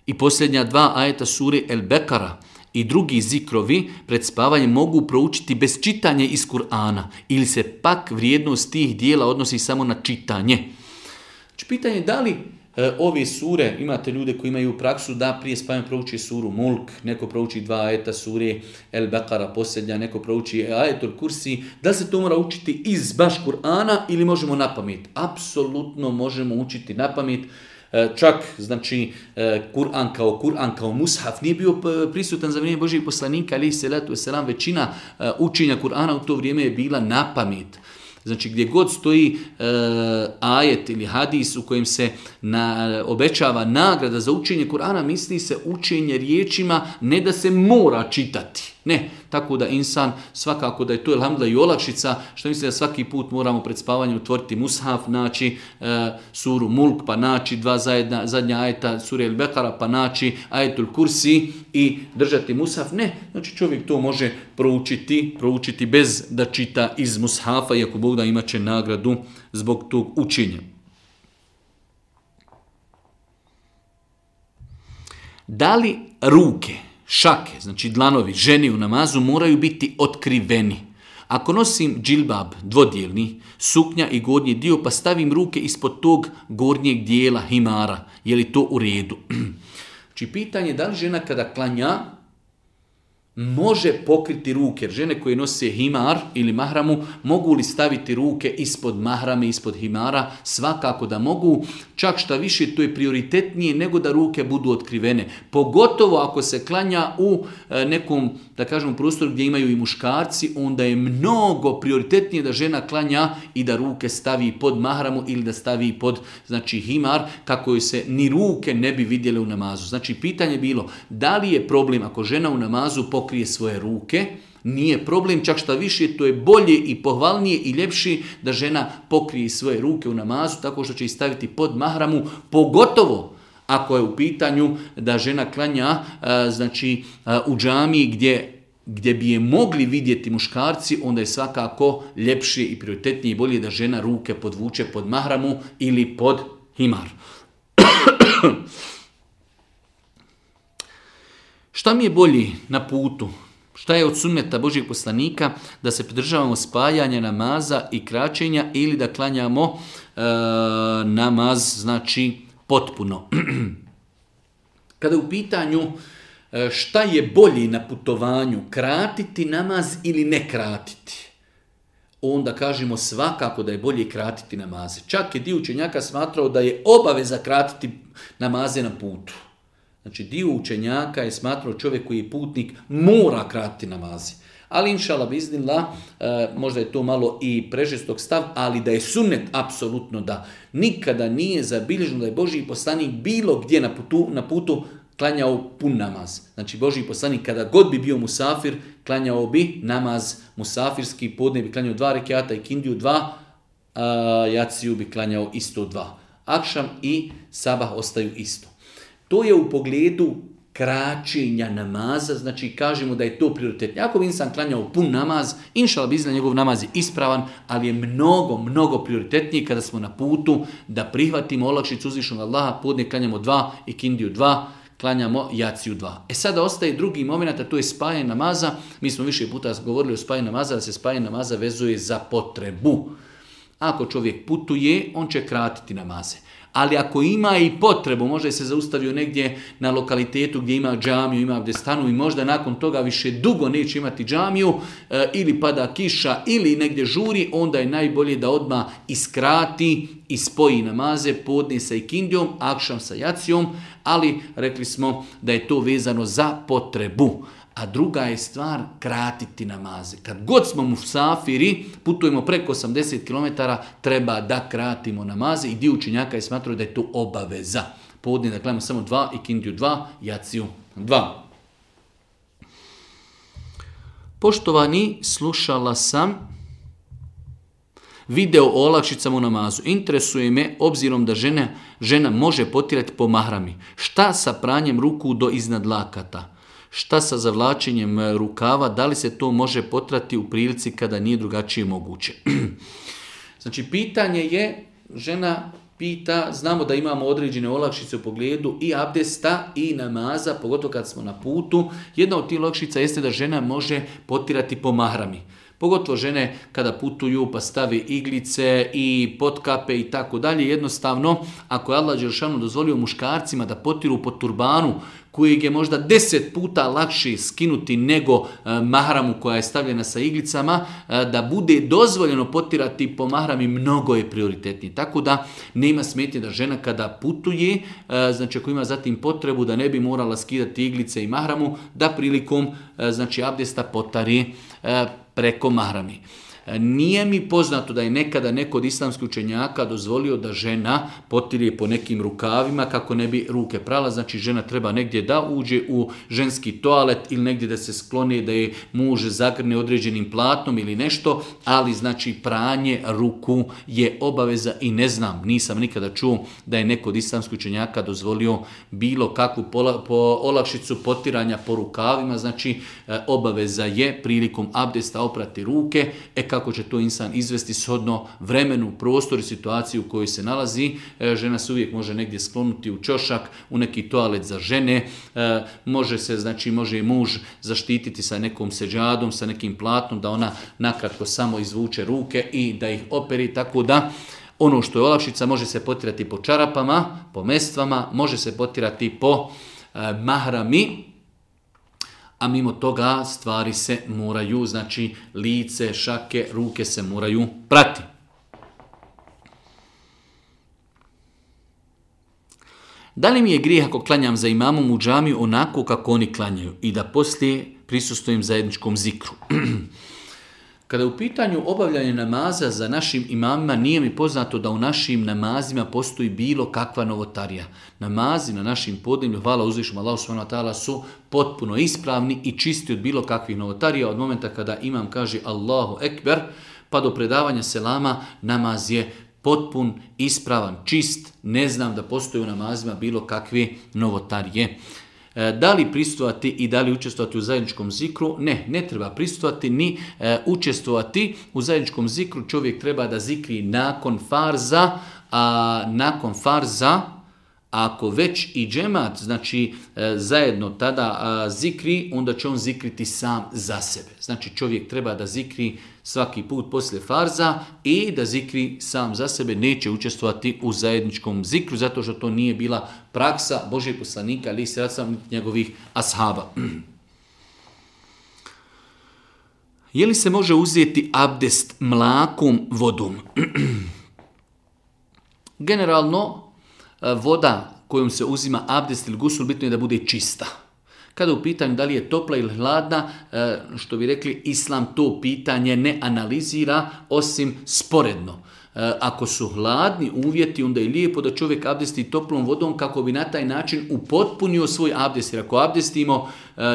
i posljednja dva ajeta sure El Bekara i drugi zikrovi pred spavanjem mogu proučiti bez čitanja iz Kur'ana ili se pak vrijednost tih dijela odnosi samo na čitanje? Znači, pitanje je da li e, ove sure, imate ljude koji imaju praksu da prije spavanja prouči suru Mulk, neko prouči dva ajeta sure El Bekara posljednja, neko prouči ajetul Kursi, da li se to mora učiti iz baš Kur'ana ili možemo na pamet? Apsolutno možemo učiti na pamet. Čak, znači, Kur'an kao Kur'an kao mushaf nije bio prisutan za vrijeme Božijeg poslanika, alejhi selatu vesselam, većina učenja Kur'ana u to vrijeme je bila na pamet. Znači, gdje god stoji e, ajet ili hadis u kojem se na, obećava nagrada za učenje Kur'ana, misli se učenje riječima, ne da se mora čitati. Ne, tako da insan, svakako da je to elhamdulillah i olakšica, što mislim da svaki put moramo pred spavanjem otvoriti mushaf, naći e, suru Mulk, pa naći dva zajedna, zadnja ajeta sure El Bekara, pa naći ajetul Kursi i držati mushaf. Ne, znači čovjek to može proučiti, proučiti bez da čita iz mushafa, iako Bog da imat će nagradu zbog tog učenja. Da li ruke, šake, znači dlanovi, ženi u namazu moraju biti otkriveni? Ako nosim džilbab dvodjelni, suknja i gornji dio, pa stavim ruke ispod tog gornjeg dijela himara, je li to u redu? Znači, pitanje je da li žena kada klanja može pokriti ruke, jer žene koje nose himar ili mahramu mogu li staviti ruke ispod mahrame, ispod himara? Svakako da mogu, čak šta više to je prioritetnije nego da ruke budu otkrivene. Pogotovo ako se klanja u nekom, da kažemo, prostoru gdje imaju i muškarci, onda je mnogo prioritetnije da žena klanja i da ruke stavi pod mahramu ili da stavi pod, znači, himar, kako joj se ni ruke ne bi vidjele u namazu. Znači, pitanje je bilo da li je problem ako žena u namazu pokrije svoje ruke? Nije problem, čak šta više, to je bolje i pohvalnije i ljepše da žena pokrije svoje ruke u namazu tako što će ih staviti pod mahramu, pogotovo ako je u pitanju da žena klanja znači, u džamiji gdje, gdje bi je mogli vidjeti muškarci, onda je svakako ljepše i prioritetnije i bolje da žena ruke podvuče pod mahramu ili pod himar. Šta mi je bolji na putu? Šta je od sunneta Božijeg poslanika? Da se pridržavamo spajanja namaza i kraćenja ili da klanjamo e, namaz, znači, potpuno. Kada je u pitanju e, šta je bolji na putovanju, kratiti namaz ili ne kratiti, onda kažemo svakako da je bolje kratiti namaze. Čak je dio učenjaka smatrao da je obaveza kratiti namaze na putu. Znači, dio učenjaka je smatrao čovjek koji je putnik mora kratiti namazi. Ali inšallah biznillah, e, možda je to malo i prežestok stav, ali da je sunnet, apsolutno da. Nikada nije zabilježeno da je Božji poslanik bilo gdje na putu, na putu klanjao pun namaz. Znači, Božji poslanik kada god bi bio musafir, klanjao bi namaz musafirski, podne bi klanjao dva rekiata i kindiju dva, a jaciju bi klanjao isto dva. Akšam i sabah ostaju isto. To je u pogledu kraćenja namaza, znači kažemo da je to prioritetno. Ako bi insan klanjao pun namaz, inšallah bizna njegov namaz je ispravan, ali je mnogo, mnogo prioritetnije kada smo na putu da prihvatimo olakšicu uzvišenog Allaha, podne klanjamo dva i kindiju dva, klanjamo jaciju dva. E sada ostaje drugi moment, a to je spajanje namaza. Mi smo više puta govorili o spajanju namaza, da se spajanje namaza vezuje za potrebu. Ako čovjek putuje, on će kratiti namaze. Ali ako ima i potrebu, možda je se zaustavio negdje na lokalitetu gdje ima džamiju, ima gdje stanu i možda nakon toga više dugo neće imati džamiju, e, ili pada kiša ili negdje žuri, onda je najbolje da odmah iskrati i spoji namaze, podne sa ikindijom, akšam sa jacijom, ali rekli smo da je to vezano za potrebu. A druga je stvar kratiti namaze. Kad god smo musafiri, putujemo preko osamdeset kilometara, treba da kratimo namaze i dio učenjaka je smatrao da je to obaveza. Podne da klanjamo samo dva, ikindiju dva, jaciju dva. Poštovani, slušala sam video o olakšicama u namazu. Interesuje me, obzirom da žena, žena može potirati po mahrami. Šta sa pranjem ruku do iznad lakata? Šta sa zavlačenjem rukava? Da li se to može potrati u prilici kada nije drugačije moguće? Znači, pitanje je, žena pita, znamo da imamo određene olakšice u pogledu i abdesta i namaza, pogotovo kad smo na putu. Jedna od tih olakšica jeste da žena može potirati po mahrami. Pogotovo žene kada putuju pa stave iglice i potkape i tako dalje. Jednostavno, ako je Allah dželešanu dozvolio muškarcima da potiru po turbanu, kojeg je možda deset puta lakše skinuti nego e, mahramu koja je stavljena sa iglicama, e, da bude dozvoljeno potirati po mahrami, mnogo je prioritetniji. Tako da nema smetnje da žena kada putuje, e, znači ako ima zatim potrebu da ne bi morala skidati iglice i mahramu, da prilikom e, znači abdesta potari e, preko mahrami. Nije mi poznato da je nekada neko od islamskih učenjaka dozvolio da žena potire po nekim rukavima kako ne bi ruke prala. Znači žena treba negdje da uđe u ženski toalet ili negdje da se skloni, da je muž zagrne određenim platnom ili nešto, ali znači pranje ruku je obaveza i ne znam, nisam nikada čuo da je neko od islamskih učenjaka dozvolio bilo kakvu pola, po olakšicu potiranja po rukavima. Znači obaveza je prilikom abdesta oprati ruke. E kako će to insan izvesti shodno vremenu, prostoru i situaciju u kojoj se nalazi. E, žena se uvijek može negdje sklonuti u ćošak, u neki toalet za žene. E, može se, znači može i muž zaštititi sa nekom seđadom, sa nekim platnom, da ona nakratko samo izvuče ruke i da ih operi, tako da ono što je olakšica može se potirati po čarapama, po mestvama, može se potirati po e, mahrami, a mimo toga stvari se moraju, znači lice, šake, ruke se moraju prati. Da li mi je grijeh ako klanjam za imamom u džamiju onako kako oni klanjaju i da poslije prisustvujem zajedničkom zikru? Kada je u pitanju obavljanje namaza za našim imamima, nije mi poznato da u našim namazima postoji bilo kakva novotarija. Namazi na našim podneblju, hvala uzvišnom Allahu subhanahu wa ta'ala, su potpuno ispravni i čisti od bilo kakvih novotarija. Od momenta kada imam kaže Allahu ekber, pa do predavanja selama, namaz je potpun, ispravan, čist. Ne znam da postoji u namazima bilo kakve novotarije. Da li prisustvovati i da li učestvovati u zajedničkom zikru? Ne, ne treba prisustvovati ni e, učestvovati u zajedničkom zikru. Čovjek treba da zikri nakon farza, a nakon farza, ako već i džemat, znači e, zajedno tada a, zikri, onda će on zikriti sam za sebe. Znači čovjek treba da zikri svaki put poslije farza i da zikri sam za sebe, neće učestvovati u zajedničkom zikru, zato što to nije bila praksa Božijeg poslanika, ali se racam njegovih ashaba. Je li se može uzeti abdest mlakom vodom? Generalno, voda kojom se uzima abdest ili gusul, bitno je da bude čista. Kada u pitanju da li je topla ili hladna, što bi rekli, islam to pitanje ne analizira osim sporedno. Ako su hladni uvjeti, onda je lijepo da čovjek abdesti toplom vodom kako bi na taj način upotpunio svoj abdest. Jer ako abdestimo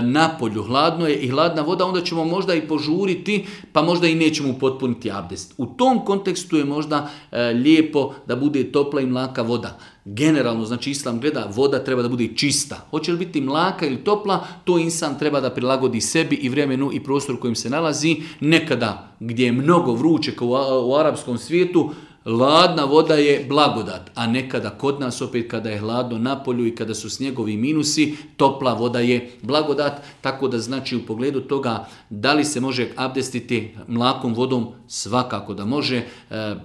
na polju, hladno je i hladna voda, onda ćemo možda i požuriti, pa možda i nećemo upotpuniti abdest. U tom kontekstu je možda lijepo da bude topla i mlaka voda. Generalno, znači islam gleda, voda treba da bude čista. Hoće li biti mlaka ili topla, to insan treba da prilagodi sebi i vremenu i prostoru kojim se nalazi. Nekada gdje je mnogo vruće kao u, u arapskom svijetu, hladna voda je blagodat, a nekada kod nas opet kada je hladno na polju i kada su snjegovi minusi, topla voda je blagodat, tako da znači u pogledu toga da li se može abdestiti mlakom vodom, svakako da može, e,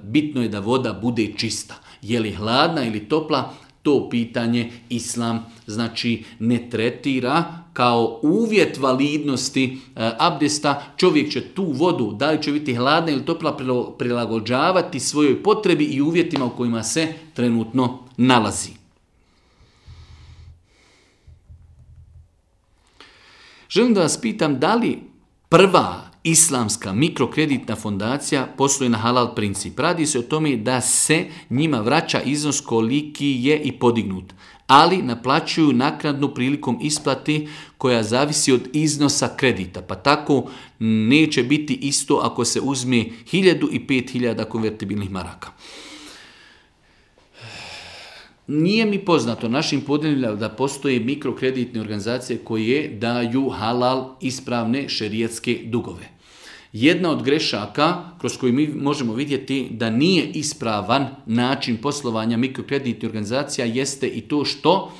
bitno je da voda bude čista. Je li hladna ili topla, to pitanje islam znači ne tretira kao uvjet validnosti e, abdesta. Čovjek će tu vodu, da li će biti hladna ili topla, prilagođavati svojoj potrebi i uvjetima u kojima se trenutno nalazi. Želim da vas pitam da li prva islamska mikrokreditna fondacija posluje na halal princip. Radi se o tome da se njima vraća iznos koliki je i podignut, ali naplaćuju naknadnu prilikom isplati koja zavisi od iznosa kredita. Pa tako neće biti isto ako se uzme hiljadu i pet hiljada konvertibilnih maraka. Nije mi poznato našim podeljima da postoje mikrokreditne organizacije koje daju halal ispravne šerijatske dugove. Jedna od grešaka kroz koju mi možemo vidjeti da nije ispravan način poslovanja mikrokreditnih organizacija jeste i to što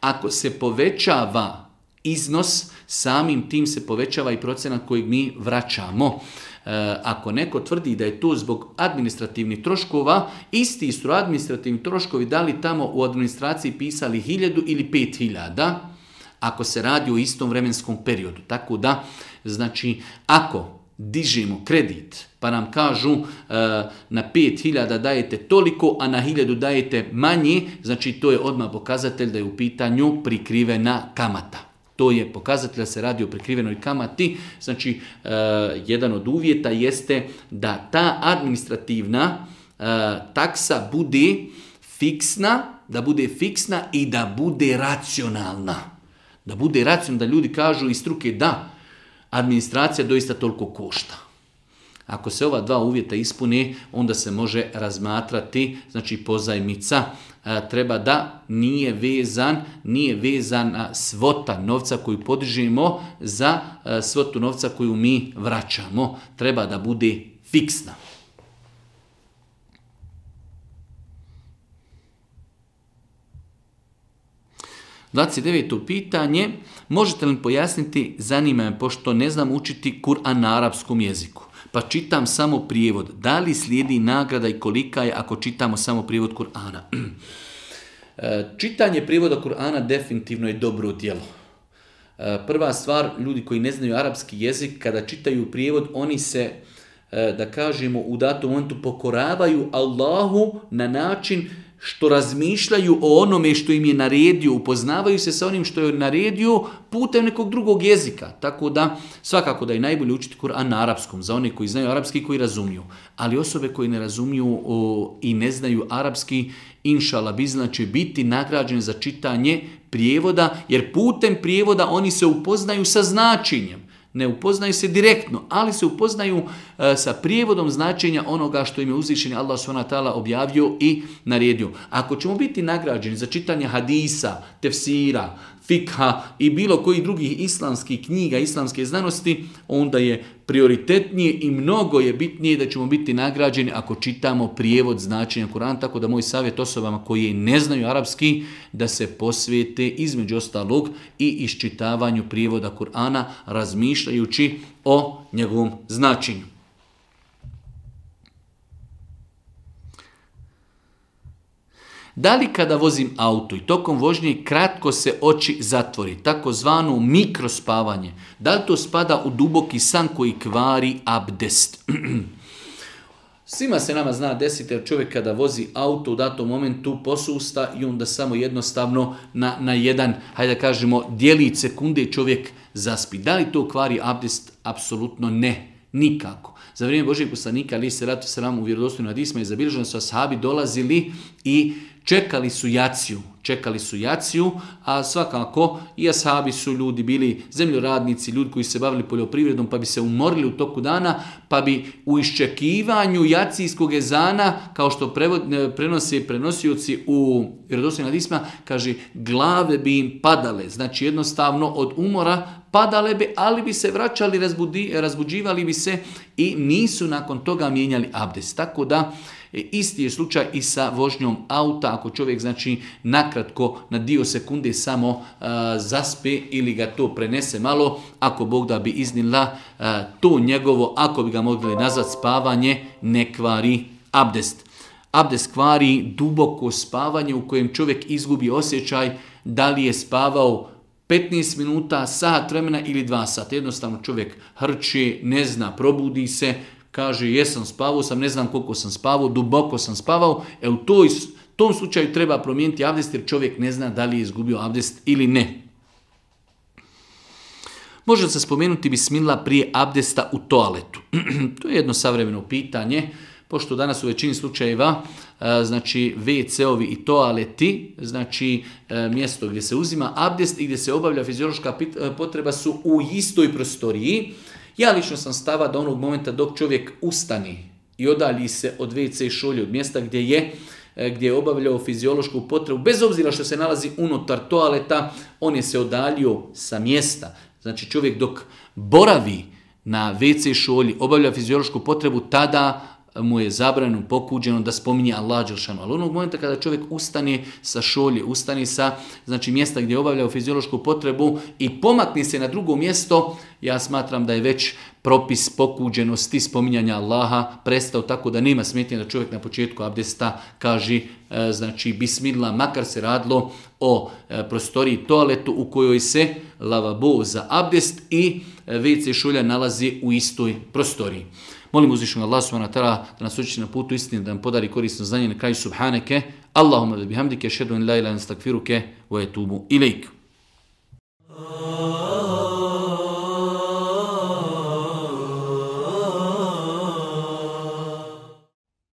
ako se povećava iznos, samim tim se povećava i procenat kojeg mi vraćamo. E, ako neko tvrdi da je to zbog administrativnih troškova, isti su administrativni troškovi da li tamo u administraciji pisali hiljadu ili pet hiljada, ako se radi o istom vremenskom periodu. Tako da, znači, ako dižemo kredit pa nam kažu e, na pet hiljada dajete toliko, a na hiljadu dajete manje, znači to je odmah pokazatelj da je u pitanju prikrivena kamata. To je pokazatelj da se radi o prikrivenoj kamati. Znači, e, jedan od uvjeta jeste da ta administrativna e, taksa bude fiksna, da bude fiksna i da bude racionalna. Da bude racionalna, da ljudi kažu iz struke da, administracija doista toliko košta. Ako se ova dva uvjeta ispune, onda se može razmatrati, znači pozajmica e, treba da nije vezan, nije vezana svota novca koju podižemo za e, svotu novca koju mi vraćamo. Treba da bude fiksna. dvadeset deveto pitanje. Možete li pojasniti, zanima me, pošto ne znam učiti Kur'an na arapskom jeziku, pa čitam samo prijevod. Da li slijedi nagrada i kolika je ako čitamo samo prijevod Kur'ana? Čitanje prijevoda Kur'ana definitivno je dobro djelo. Prva stvar, ljudi koji ne znaju arapski jezik, kada čitaju prijevod, oni se, da kažemo, u datom momentu pokoravaju Allahu na način što razmišljaju o onome što im je naredio, upoznavaju se sa onim što je naredio putem nekog drugog jezika. Tako da, svakako da je najbolje učiti Kur'an na arapskom, za one koji znaju arapski i koji razumiju. Ali osobe koji ne razumiju o, i ne znaju arapski, inšala bizna će biti nagrađene za čitanje prijevoda, jer putem prijevoda oni se upoznaju sa značenjem. Ne upoznaju se direktno, ali se upoznaju e, sa prijevodom značenja onoga što im je uzvišeni Allah subhanahu wa ta'ala objavio i naredio. Ako ćemo biti nagrađeni za čitanje hadisa, tefsira, fikha i bilo koji drugih islamskih knjiga, islamske znanosti, onda je prioritetnije i mnogo je bitnije da ćemo biti nagrađeni ako čitamo prijevod značenja Kur'ana. Tako da moj savjet osobama koji ne znaju arapski da se posvijete između ostalog i iščitavanju prijevoda Kur'ana, razmišljajući o njegovom značenju. Da li kada vozim auto i tokom vožnje kratko se oči zatvori, takozvano mikrospavanje, da li to spada u duboki san koji kvari abdest? Svima se nama zna desiti jer čovjek kada vozi auto u datom momentu posusta i onda samo jednostavno na, na jedan, hajde da kažemo, djelić sekunde čovjek zaspi. Da li to kvari abdest? Apsolutno ne, nikako. Za vrijeme Božijeg poslanika, ali se ratu sram u vjerodostojnim hadisima, je zabilježeno su ashabi dolazili i čekali su jaciju, čekali su jaciju, a svakako i ashabi su ljudi bili zemljoradnici, ljudi koji se bavili poljoprivredom, pa bi se umorili u toku dana, pa bi u iščekivanju jacijskog ezana, kao što prevod, prenose prenosioci u vjerodostojnim hadisima, kaže, glave bi im padale, znači jednostavno od umora padale bi, ali bi se vraćali, razbudi, razbuđivali bi se i nisu nakon toga mijenjali abdest. Tako da, isti je slučaj i sa vožnjom auta, ako čovjek znači nakratko na dio sekunde samo uh, zaspe ili ga to prenese malo, ako Bog da bi iznila uh, to njegovo, ako bi ga mogli nazvati spavanje, ne kvari abdest. Abdest kvari duboko spavanje u kojem čovjek izgubi osjećaj da li je spavao petnaest minuta, sat vremena ili dva sata. Jednostavno čovjek hrči, ne zna, probudi se, kaže jesam spavao sam, ne znam koliko sam spavao, duboko sam spavao. E u toj, tom slučaju treba promijeniti abdest jer čovjek ne zna da li je izgubio abdest ili ne. Može se spomenuti bismillah prije abdesta u toaletu. To je jedno savremeno pitanje, pošto danas u većini slučajeva znači ve ce-ovi i toaleti, znači mjesto gdje se uzima abdest i gdje se obavlja fiziološka potreba su u istoj prostoriji. Ja lično sam stava da onog momenta dok čovjek ustani i odalji se od ve ce šolje, od mjesta gdje je, gdje je obavljao fiziološku potrebu, bez obzira što se nalazi unutar toaleta, on je se odaljio sa mjesta. Znači čovjek dok boravi na ve ce šolji, obavlja fiziološku potrebu, tada mu je zabranjeno, pokuđeno da spominje Allah dželešanu. Ali onog momenta kada čovjek ustane sa šolje, ustane sa znači, mjesta gdje je obavljao fiziološku potrebu i pomakne se na drugo mjesto, ja smatram da je već propis pokuđenosti spominjanja Allaha prestao, tako da nema smetnje da čovjek na početku abdesta kaže znači bismillah, makar se radilo o prostoriji toaletu u kojoj se lavabo za abdest i ve ce šolja nalazi u istoj prostoriji. Molim uzvišenog Allah subhanahu wa ta'ala da nas uči na putu istine, da nam podari korisno znanje. Na kraju subhaneke, Allahumma bihamdike, ashhadu an la ilaha illa anta, astaghfiruke wa atubu ilaik.